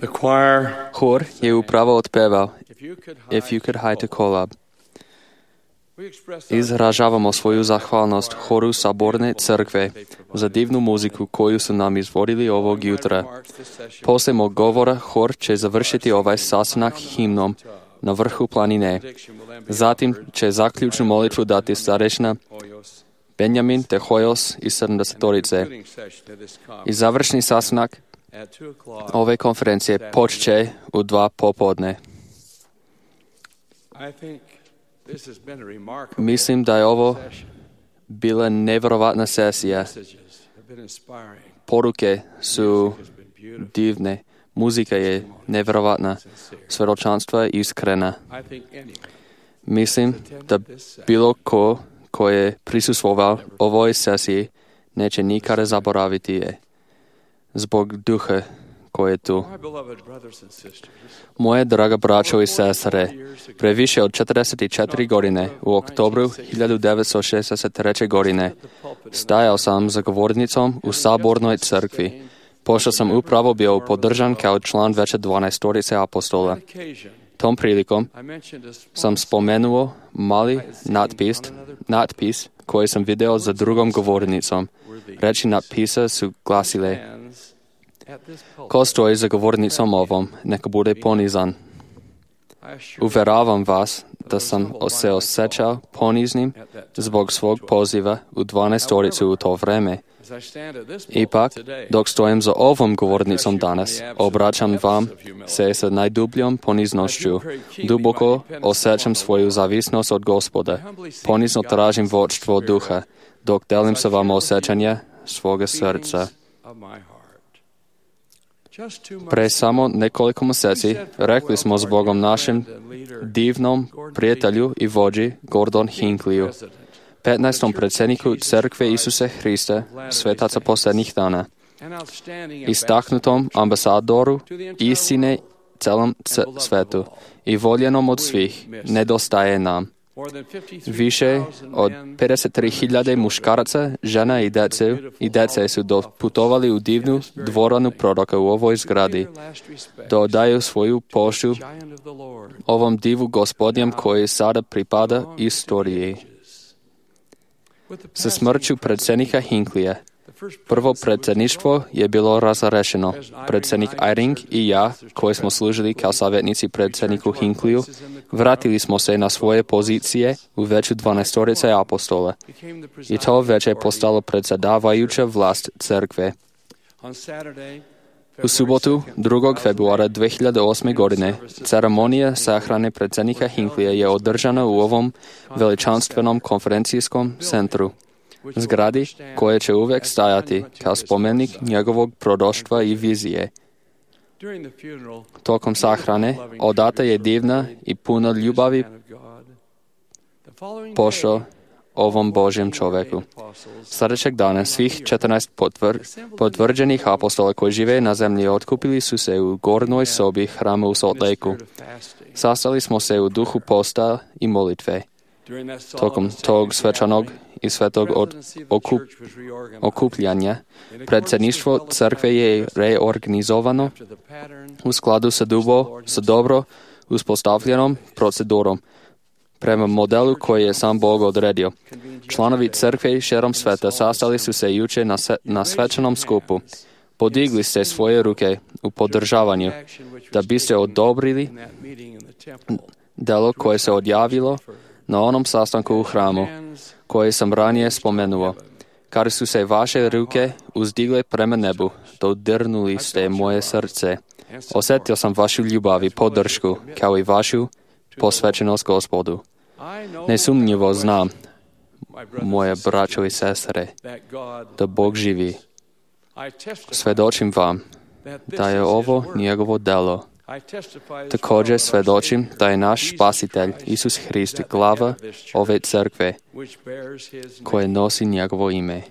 The choir, Chór je úpravo odpeval If You Could Hide the Collab. Izražavamo svoju zahvalnosť choru Sabornej cerkve za divnú muziku, koju su nam izvodili ovog jutra. Poslije mog govora chor će završiti ovaj sastanak himnom na vrhu planine. Zatim će zaključnu molitvu dati starešina Benjamin Tehojos iz sedamdesetorice. I završni sastanak ove konferencije počće u dva popodne. Mislim da je ovo bila nevjerovatna sesija. Poruke su divne, muzika je nevjerovatna, svjedočanstvo je iskrena. Mislim da bilo ko ko je prisustvovao ovoj sesiji neće nikada zaboraviti je zbog duha koji je tu. Moje draga braćo i sestre, pre više od četrdeset četiri godine, u oktobru hiljadu devetsto šezdeset treće. godine, stajao sam za govornicom u Sabornoj crkvi, pošto sam upravo bio podržan kao član veće dvanaestorice apostola. Tom prilikom sam spomenuo mali natpis, natpis koji sam video za drugom govornicom. Reči natpisa su glasile: ko stoji za govornicom ovom, neka bude ponizan. Uveravam vas da sam se osjećao poniznim zbog svog poziva u dvanaestoricu u to vreme. Ipak, dok stojim za ovom govornicom danas, obraćam vam se sa najdubljom poniznošću. Duboko osjećam svoju zavisnost od Gospoda. Ponizno tražim vodstvo duha, dok delim sa vama osjećanja svoga srca. Pre samo nekoliko mjeseci rekli smo s Bogom našem divnom prijatelju i vođi Gordon Hinckliju, petnaestom predsjedniku Crkve Isuse Hrista, svetaca posljednjih dana, istaknutom ambasadoru istine celom svetu i voljenom od svih, nedostaje nam. Više od pedeset tri hiljade muškaraca, žena i dece, i dece su doputovali u divnu dvoranu proroka u ovoj zgradi, da odaju svoju poštu ovom divu Gospodjem koji sada pripada istoriji. Sa smrću predsjednika Hinklija, prvo predsjedništvo je bilo razrešeno. Predsjednik Eyring i ja, koji smo služili kao savjetnici predsjedniku Hinkliju, vratili smo se na svoje pozicije u veću dvanaestorice apostola. I to već je postalo predsjedavajuća vlast crkve. U subotu, drugog februara dve hiljade osme. godine, ceremonija sahrane predsjednika Hinklija je održana u ovom veličanstvenom konferencijskom centru, zgradi koje će uvijek stajati kao spomenik njegovog proroštva i vizije. Tokom sahrane odata je divna i puna ljubavi pošto ovom Božjem čovjeku. Sljedećeg dana svih četrnaest potvr, potvrđenih apostola koji žive na zemlji otkupili su se u gornjoj sobi hrama u Salt Lakeu. Sastali smo se u duhu posta i molitve. Tokom tog svečanog i svetog od okup, okupljanja predsjedništvo crkve je reorganizovano u skladu sa, dubo, sa dobro uspostavljenom procedurom prema modelu koji je sam Bog odredio. Članovi crkve širom sveta sastali su se juče na, se, na svečanom skupu. Podigli ste svoje ruke u podržavanju da biste odobrili delo koje se odjavilo na onom sastanku u hramu, koje sam ranije spomenuo. Kada su se vaše ruke uzdigle prema nebu, dodirnuli ste moje srce. Osjetio sam vašu ljubav i podršku, kao i vašu posvećenost Gospodu. Nesumnjivo znam, moje braćo i sestre, da Bog živi. Svedočim vam da je ovo njegovo delo. Također svedočim da je naš Spasitelj, Isus Hrist, glava ove crkve, koje nosi njegovo ime.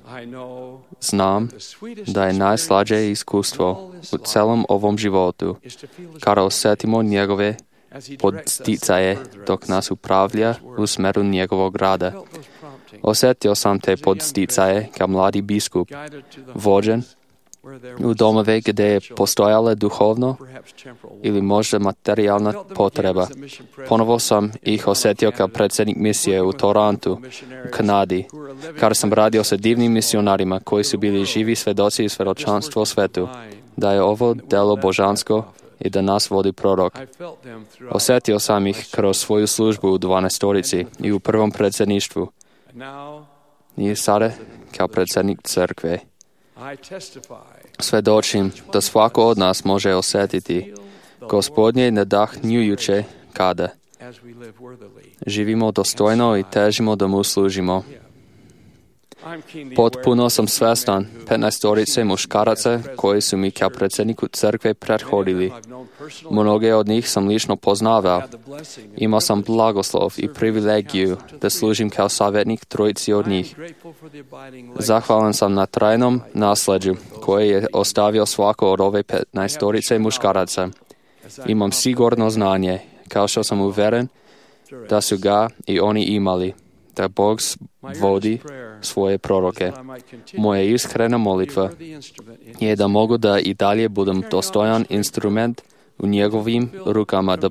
Znam da je najslađe iskustvo u celom ovom životu, kada osjetimo njegove podsticaje dok nas upravlja u smeru njegovog rada. Osjetio sam te podsticaje kao mladi biskup, vođen u domove gde je postojala duhovno ili možda materijalna potreba. Ponovo sam ih osjetio kao predsjednik misije u Torontu, u Kanadi, kada sam radio sa divnim misionarima koji su bili živi svedoci i svedočanstvo svetu, da je ovo delo božansko i da nas vodi prorok. Osjetio sam ih kroz svoju službu u dvanaestorici i u prvom predsjedništvu. I sada kao predsjednik crkve. Svedočim da svako od nas može osjetiti Gospodnje nadahnjujuće kada živimo dostojno i težimo da mu služimo. Potpuno sam svestan petnaestorice muškaraca koji su mi kao predsjedniku crkve prethodili. Mnoge od njih sam lično poznavao. Imao sam blagoslov i privilegiju da služim kao savjetnik trojici od njih. Zahvalan sam na trajnom nasleđu koje je ostavio svako od ove petnaestorice muškaraca. Imam sigurno znanje, kao što sam uveren da su ga i oni imali, da Bog vodi svoje proroke. Moja iskrena molitva je da mogu da i dalje budem dostojan instrument u njegovim rukama, da,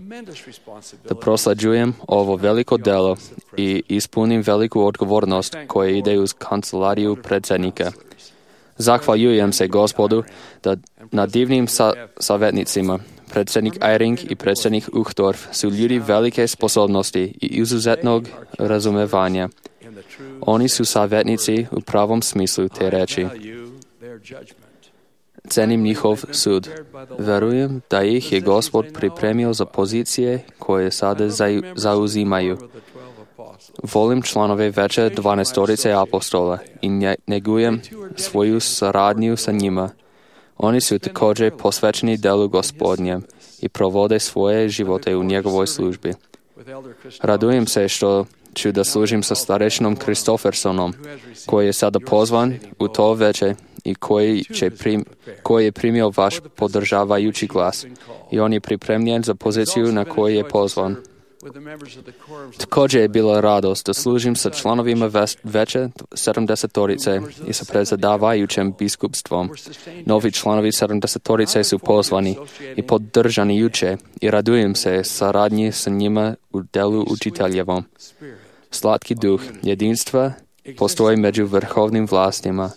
da proslađujem ovo veliko delo i ispunim veliku odgovornost koja ide uz kancelariju predsjednika. Zahvaljujem se Gospodu da na divnim sa, savjetnicima. Predsjednik Eyring i predsjednik Uchtdorf su ljudi velike sposobnosti i izuzetnog razumevanja. Oni su savjetnici u pravom smislu te reči. Cenim njihov sud. Verujem da ih je Gospod pripremio za pozicije koje sada zauzimaju. Volim članove veće dvanaestorice apostola i negujem svoju saradnju sa njima. Oni su također posvećeni delu Gospodnjem i provode svoje živote u njegovoj službi. Radujem se što ću da služim sa starešinom Kristofersonom, koji je sada pozvan u to veće i koji, će prim, koji je primio vaš podržavajući glas. I on je pripremljen za poziciju na koju je pozvan. Također je bila radost da služim sa članovima veće sedamdesetorice i sa predsjedavajućim biskupstvom. Novi članovi sedamdesetorice su pozvani i podržani juče i radujem se saradnji sa njima u delu učiteljevom. Slatki duh jedinstva postoji među vrhovnim vlastima.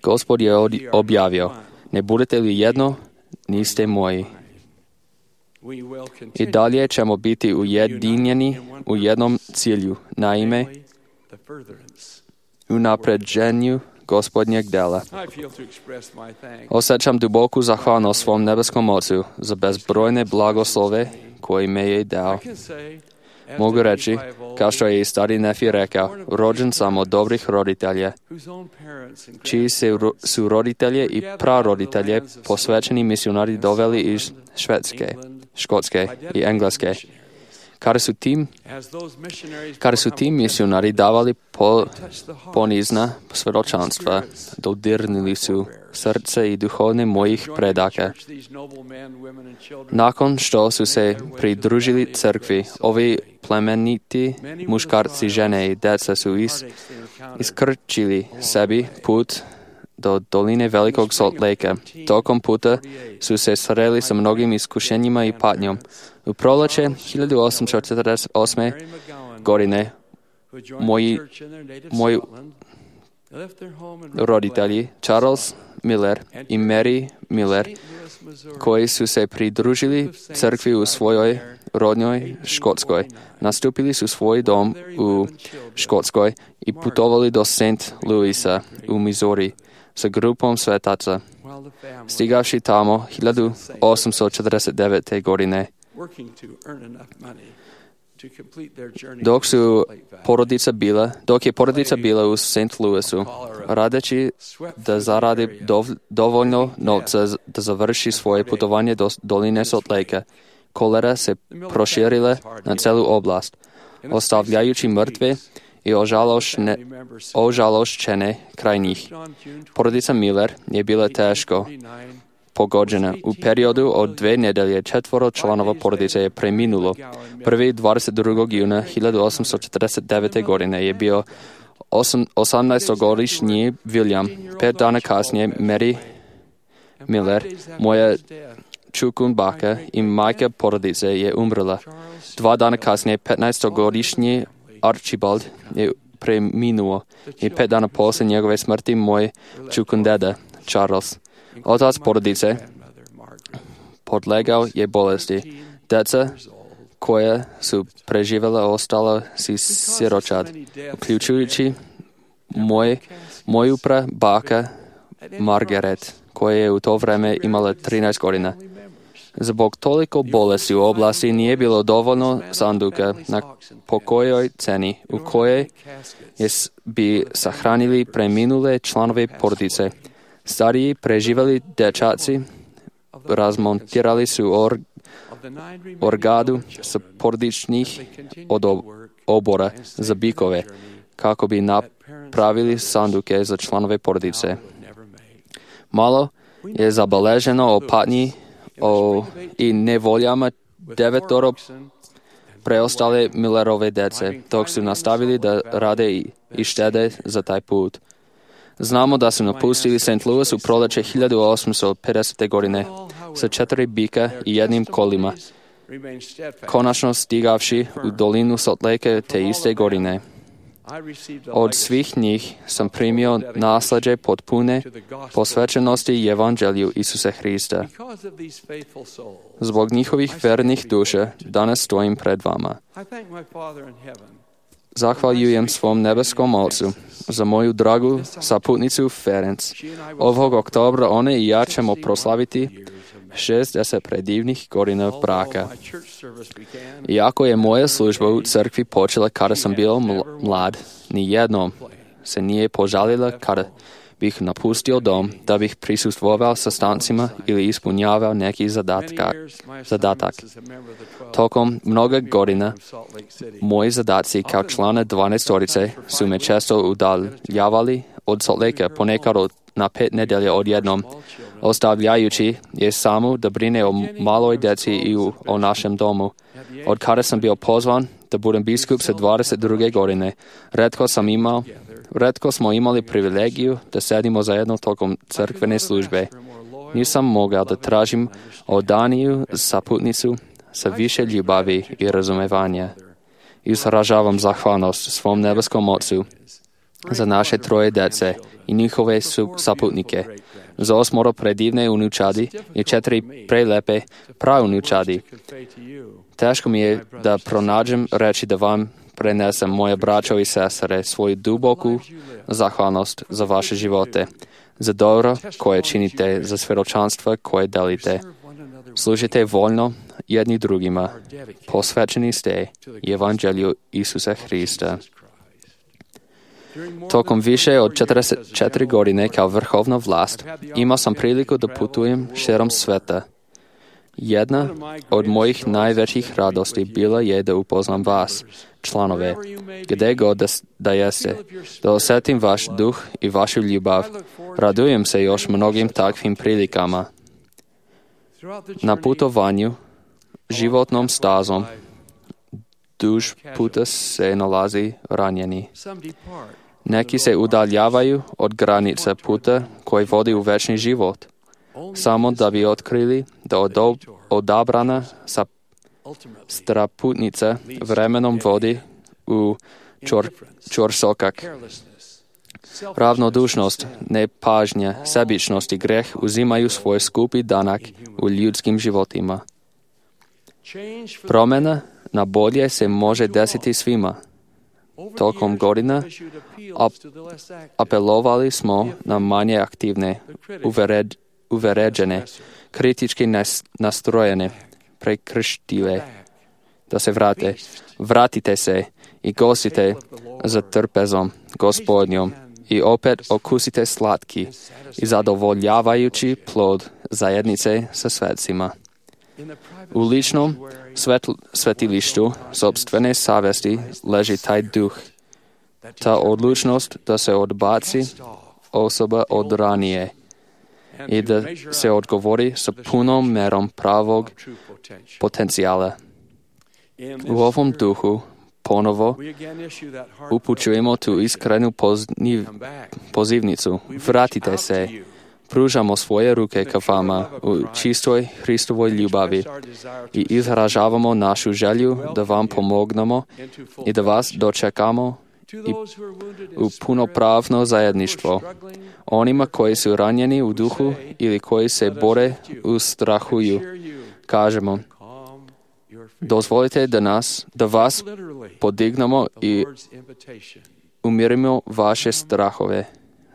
Gospod je objavio, ne budete li jedno, niste moji. I dalje ćemo biti ujedinjeni u jednom cilju, naime, u napređenju Gospodnjeg dela. Osjećam duboku zahvalnost svom nebeskom Ocu za bezbrojne blagoslove koje me je dao. Mogu reći, kao što je i stari Nefi rekao, rođen sam od dobrih roditelja, čiji su roditelje i praroditelje posvećeni misionari doveli iz Švedske, Škotske i Engleske. Kada su tim, kada su tim misionari davali po, ponizna svjedočanstva, dodirnili su srce i duhovne mojih predaka. Nakon što su se pridružili crkvi, ovi plemeniti muškarci, žene i deca su is, iskrčili sebi put do doline Velikog Salt Lake. Tokom puta su se sreli sa mnogim iskušenjima i patnjom. U proljeće hiljadu osamsto četrdeset osme. godine moji, moji roditelji Charles Miller i Mary Miller, koji su se pridružili crkvi u svojoj rodnoj Škotskoj, nastupili su svoj dom u Škotskoj i putovali do Saint Louisa u Missouri sa grupom svetaca. Stigavši tamo hiljadu osamsto četrdeset devete. godine, dok su porodica bila, dok je porodica bila u Saint Louisu, radeći da zaradi dov, dovoljno novca da završi svoje putovanje do doline Salt Lake, kolera se proširila na celu oblast, ostavljajući mrtve i ožalošne, ožalošćene kraj njih. Porodica Miller je bila teško pogođena. U periodu od dve nedelje četvoro članova porodice je preminulo. Prvi dvadeset drugog juna hiljadu osamsto četrdeset devete. godine je bio osamnaestogodišnji William, pet dana kasnije Mary Miller, moja čukunbaka i majka porodice, je umrla. Dva dana kasnije petnaestogodišnji Archibald je preminuo i pet dana poslije njegove smrti moj čukundeda Charles, otac porodice, podlegao je bolesti. Deca koja su preživjela ostala si siročad, uključujući moj, moju prabaka Margaret, koja je u to vrijeme imala trinaest godina. Zbog toliko bolesti u oblasti nije bilo dovoljno sanduka na pokojoj ceni u kojoj bi sahranili preminule članove porodice. Stariji preživjeli dečaci razmontirali su or, orgadu sa porodičnih obora za bikove, kako bi napravili sanduke za članove porodice. Malo je zabeleženo o patnji o, i nevoljama devetoro preostale Millerove dece, dok su nastavili da rade i, i štede za taj put. Znamo da su napustili Saint Louis u proljeće hiljadu osamsto pedesete godine sa četiri bika i jednim kolima, konačno stigavši u dolinu Salt Lake te iste godine. Od svih njih sam primio nasljeđe potpune posvećenosti Evanđelju Isusa Hrista. Zbog njihovih vernih duša danas stojim pred vama. Zahvaljujem svom nebeskom Ocu za moju dragu saputnicu Ferenc. Ovog oktobra one i ja ćemo proslaviti šezdeset predivnih godina braka. Iako je moja služba u crkvi počela kada sam bio mlad, ni jednom se nije požalila kada bih napustio dom da bih prisustvovao sastancima ili ispunjavao neki zadatka, zadatak. Tokom mnoga godina moji zadaci kao člana dvanaestorice su me često udaljavali od Salt Lakea, ponekad na pet nedelja odjednom, ostavljajući je samu da brine o maloj djeci i o našem domu. Od kada sam bio pozvan da budem biskup sa dvadeset druge godine, retko sam imao Retko smo imali privilegiju da sedimo zajedno tokom crkvene službe. Nisam mogao da tražim odaniju saputnicu sa više ljubavi i razumevanja. Izražavam zahvalnost svom nebeskom Ocu za naše troje djece i njihove saputnike, za osmoro predivne unučadi i četiri prelepe praunučadi. Teško mi je da pronađem reći da vam prenesem, moje braćo i sestre, svoju duboku zahvalnost za vaše živote, za dobro koje činite, za svjedočanstva koje delite. Služite voljno jedni drugima, posvećeni ste Evanđelju Isusa Hrista. Tokom više od četrdeset četiri godine kao vrhovna vlast imao sam priliku da putujem širom sveta. Jedna od mojih najvećih radosti bila je da upoznam vas, članove, gdje god da, da jeste, da osjetim vaš duh i vašu ljubav. Radujem se još mnogim takvim prilikama. Na putovanju, životnom stazom, duž puta se nalazi ranjeni. Neki se udaljavaju od granice puta koji vodi u večni život, samo da bi otkrili da odob, odabrana sa straputnica vremenom vodi u čor, čorsokak. Ravnodušnost, nepažnja, sebičnost i greh uzimaju svoj skupi danak u ljudskim životima. Promjena na bolje se može desiti svima. Tokom godina ap, apelovali smo na manje aktivne, uvered, uveređene, kritički nas, nastrojene, prekrštive, da se vrate. Vratite se i gostite za trpezom Gospodnjom i opet okusite slatki i zadovoljavajući plod zajednice sa svetcima. U ličnom svetl, svetilištu sopstvene savesti leži taj duh, ta odlučnost da se odbaci osoba od ranije i da se odgovori sa punom merom pravog potencijala. U ovom duhu ponovo upućujemo tu iskrenu pozniv, pozivnicu. Vratite se. Pružamo svoje ruke ka vama u čistoj Hristovoj ljubavi i izražavamo našu želju da vam pomognemo i da vas dočekamo i u punopravno zajedništvo. Onima koji su ranjeni u duhu ili koji se bore u strahuju, kažemo, dozvolite da nas, da vas podignemo i umirimo vaše strahove.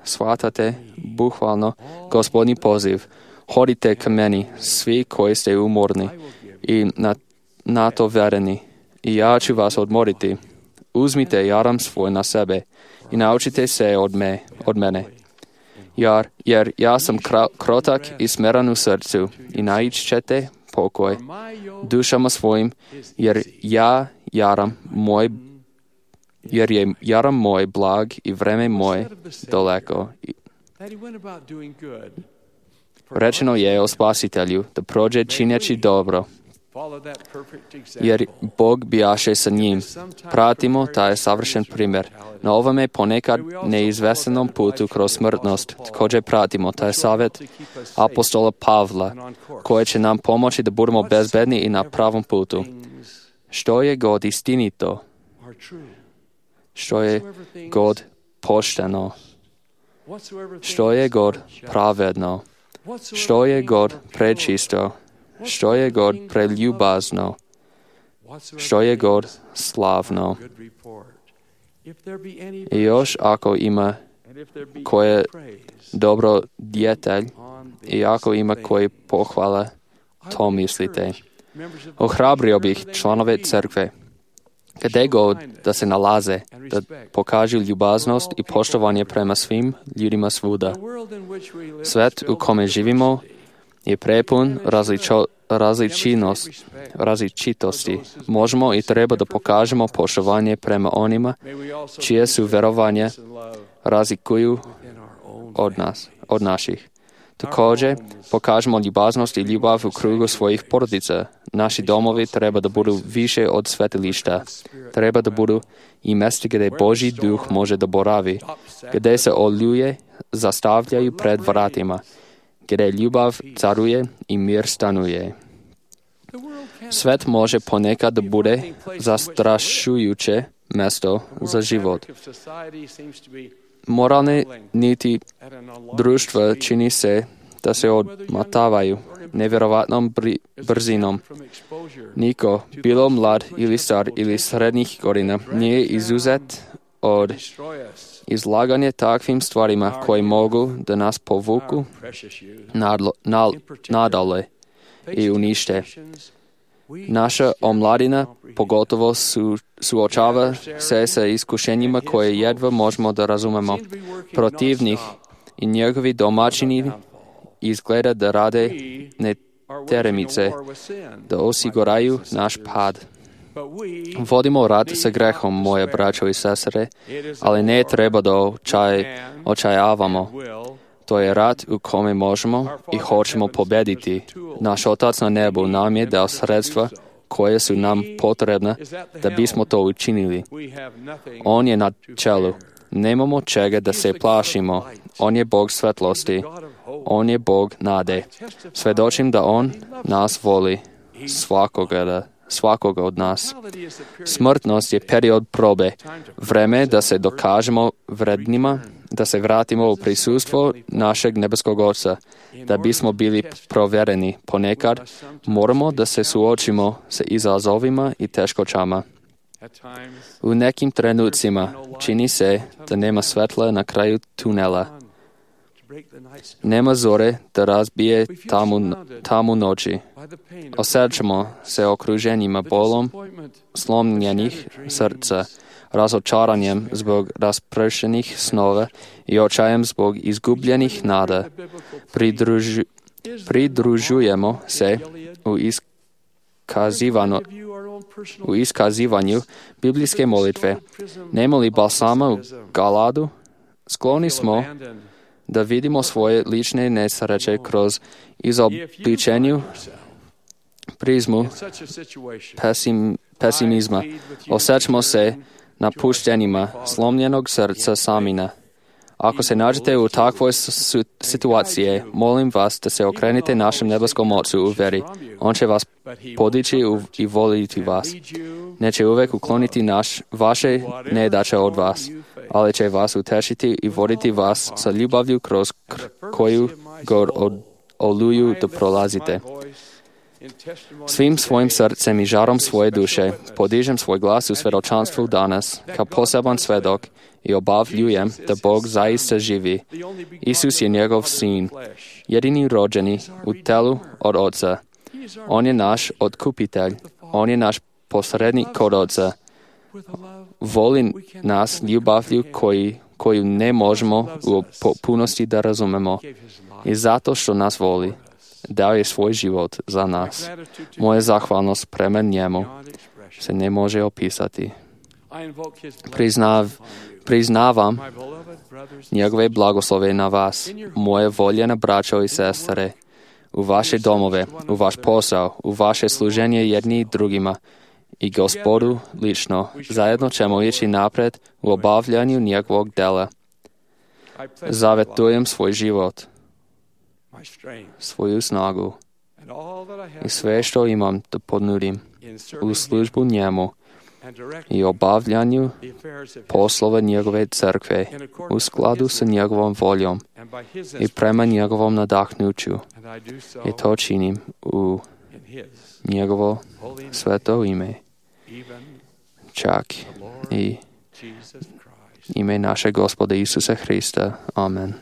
Shvatate, bukvalno, Gospodnji poziv. Hodite ka meni, svi koji ste umorni i na, na to vereni, i ja ću vas odmoriti. Uzmite jaram svoj na sebe i naučite se od, me, od mene. Jer, jer ja sam kra, krotak i smeran u srcu i naići ćete pokoj dušama svojim, jer ja jaram moj jer je jaram moj blag i vreme moje daleko. Rečeno je o Spasitelju da prođe činjeći dobro, jer Bog bijaše sa njim. Pratimo taj savršen primjer. Na ovome ponekad neizvesenom putu kroz smrtnost također pratimo taj savjet apostola Pavla, koji će nam pomoći da budemo bezbedni i na pravom putu. Što je god istinito, što je god pošteno, što je god pravedno, što je god prečisto, što je god preljubazno, što je god slavno. I još ako ima koje dobro djetelj i ako ima koji pohvala, to mislite. Ohrabrio bih članove crkve, gdje god da se nalaze, da pokažu ljubaznost i poštovanje prema svim ljudima svuda. Svet u kome živimo je prepun različo, različinost, različitosti. Možemo i treba da pokažemo poštovanje prema onima čije su verovanje razlikuju od nas, od naših. Također, pokažemo ljubaznost i ljubav u krugu svojih porodica. Naši domovi treba da budu više od svetilišta. Treba da budu i mjesta gdje Božji duh može da boravi, gdje se oluje zastavljaju pred vratima, gdje ljubav caruje i mir stanuje. Svet može ponekad da bude zastrašujuće mjesto za život. Moralne niti društva čini se da se odmatavaju nevjerovatnom brzinom. Niko, bilo mlad ili star ili srednjih godina, nije izuzet od izlaganja takvim stvarima koji mogu da nas povuku nadlo, nal, nadale i unište. Naša omladina pogotovo su, suočava se sa iskušenjima koje jedva možemo da razumemo. Protivnik i njegovi domaćini izgleda da rade neteremice, da osiguraju naš pad. Vodimo rat sa grehom, moje braćo i sestre, ali ne treba da očaj, očajavamo. To je rat u kome možemo i hoćemo pobediti. Naš Otac na nebu nam je dao sredstva koje su nam potrebne da bismo to učinili. On je na čelu. Nemamo čega da se plašimo. On je Bog svetlosti. On je Bog nade. Svedočim da On nas voli, svakoga, svakoga od nas. Smrtnost je period probe, vreme da se dokažemo vrednima, da se vratimo u prisustvo našeg nebeskog Oca, da bismo bili provjereni. Ponekad moramo da se suočimo sa izazovima i teškoćama. U nekim trenucima čini se da nema svetla na kraju tunela. Nema zore da razbije tamu, tamu noći. Osjećamo se okruženjima bolom slomljenih srca, razočaranjem zbog raspršenih snova i očajem zbog izgubljenih nada. Pridružu, pridružujemo se u iskazivanju, u iskazivanju biblijske molitve. Nema li balsama u Galadu? Skloni smo da vidimo svoje lične nesreće kroz izobličenju prizmu pesim, pesimizma. Osjećamo se napuštenima, slomljenog srca samina. Ako se nađete u takvoj situaciji, molim vas da se okrenete našem nebeskom Ocu u veri. On će vas podići i voliti vas. Neće uvek ukloniti naš, vaše nedaće od vas, ali će vas utešiti i voditi vas sa ljubavlju kroz koju god oluju da prolazite. Svim svojim srcem i žarom svoje duše podižem svoj glas u svedočanstvu danas kao poseban svedok i obavljujem da Bog zaista živi. Isus je njegov sin, jedini rođeni u telu od Oca. On je naš otkupitelj, on je naš posrednik kod Oca. Voli nas ljubavlju koji, koju ne možemo u potpunosti da razumemo. I zato što nas voli, dao je svoj život za nas. Moja zahvalnost prema njemu se ne može opisati. Priznav, priznavam njegove blagoslove na vas, moje voljene braćo i sestre, u vaše domove, u vaš posao, u vaše služenje jedni drugima i Gospodu lično. Zajedno ćemo ići napred u obavljanju njegovog dela. Zavetujem svoj život, svoju snagu i sve što imam da ponudim u službu njemu i obavljanju poslova njegove crkve u skladu sa njegovom voljom i prema njegovom nadahnuću. I to činim u njegovo sveto ime, čak i ime naše Gospoda Isusa Hrista. Amen.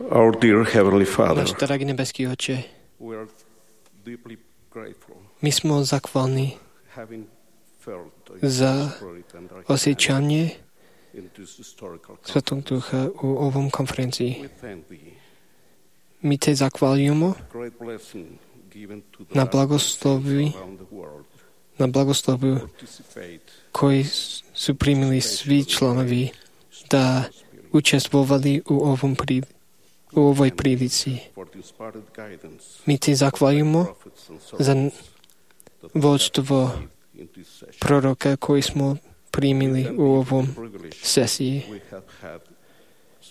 Our dear Heavenly Father, Náš drahý nebeský Oče, we are deeply grateful, my sme zachváľni having felt the za Spirit and our osjećanje in this historical Svetog Ducha u ovom konferenciji. We thank thee. My te zachváľujemo Great blessing given to the na last blagoslovi, around the world. na blagoslovu, Participate koji su primili svi članovi da učestvovali u ovom pri, u ovoj prilici. for the inspired guidance My ti zahvaljujemo prophets and za servants that we vođstvo have received in this session. proroka koji smo primili u ovom Privilege sesiji. we have had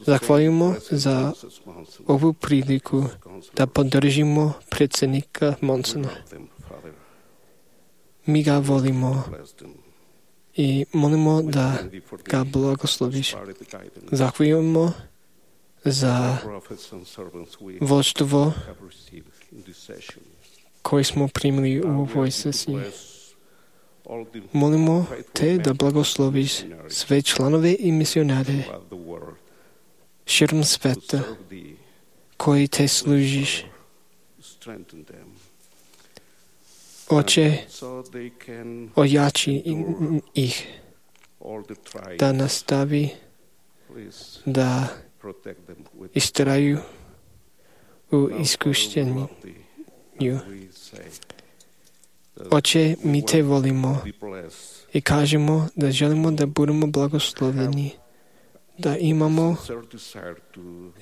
Zahvaljujemo za ovu priliku da podržimo predsjednika Monsona. Mi ga volimo i molimo da ga blagosloviš. Zahvaljujemo za vođstvo koje smo primili u ovoj sesiji. Molimo te da blagosloviš sve članove i misionare širom sveta koji te služiš. Oče, ojači ih da nastavi da istraju u iskušenju. Oče, mi te volimo i kažemo da želimo da budemo blagoslovljeni, da imamo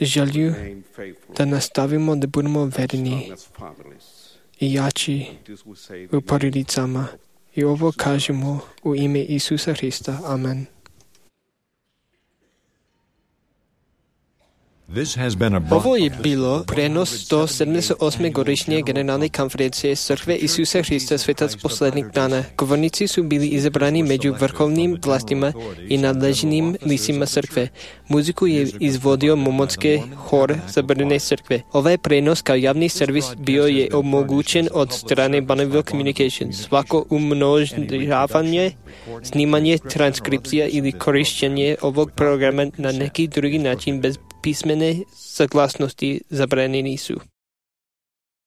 želju da nastavimo da budemo verni i jači u porodicama. I ovo kažemo u ime Isusa Hrista. Amen. Ovo je bilo prenos sto sedamdeset osme godišnje generalne konferencije Crkve Isusa Hrista Svetac posledních dana. Govornici su bili izabrani među vrhovnim vlastima i nadležnim licima crkve. Muziku je izvodio Momonski hor Zabrane crkve. Ovaj prenos kao javni servis bio je omogućen od strane Bonneville Communications. Svako umnožavanje, snimanje, transkripcija ili korišćenje ovog programa na neki drugi način bez písmene saglasnosti zabranení sú.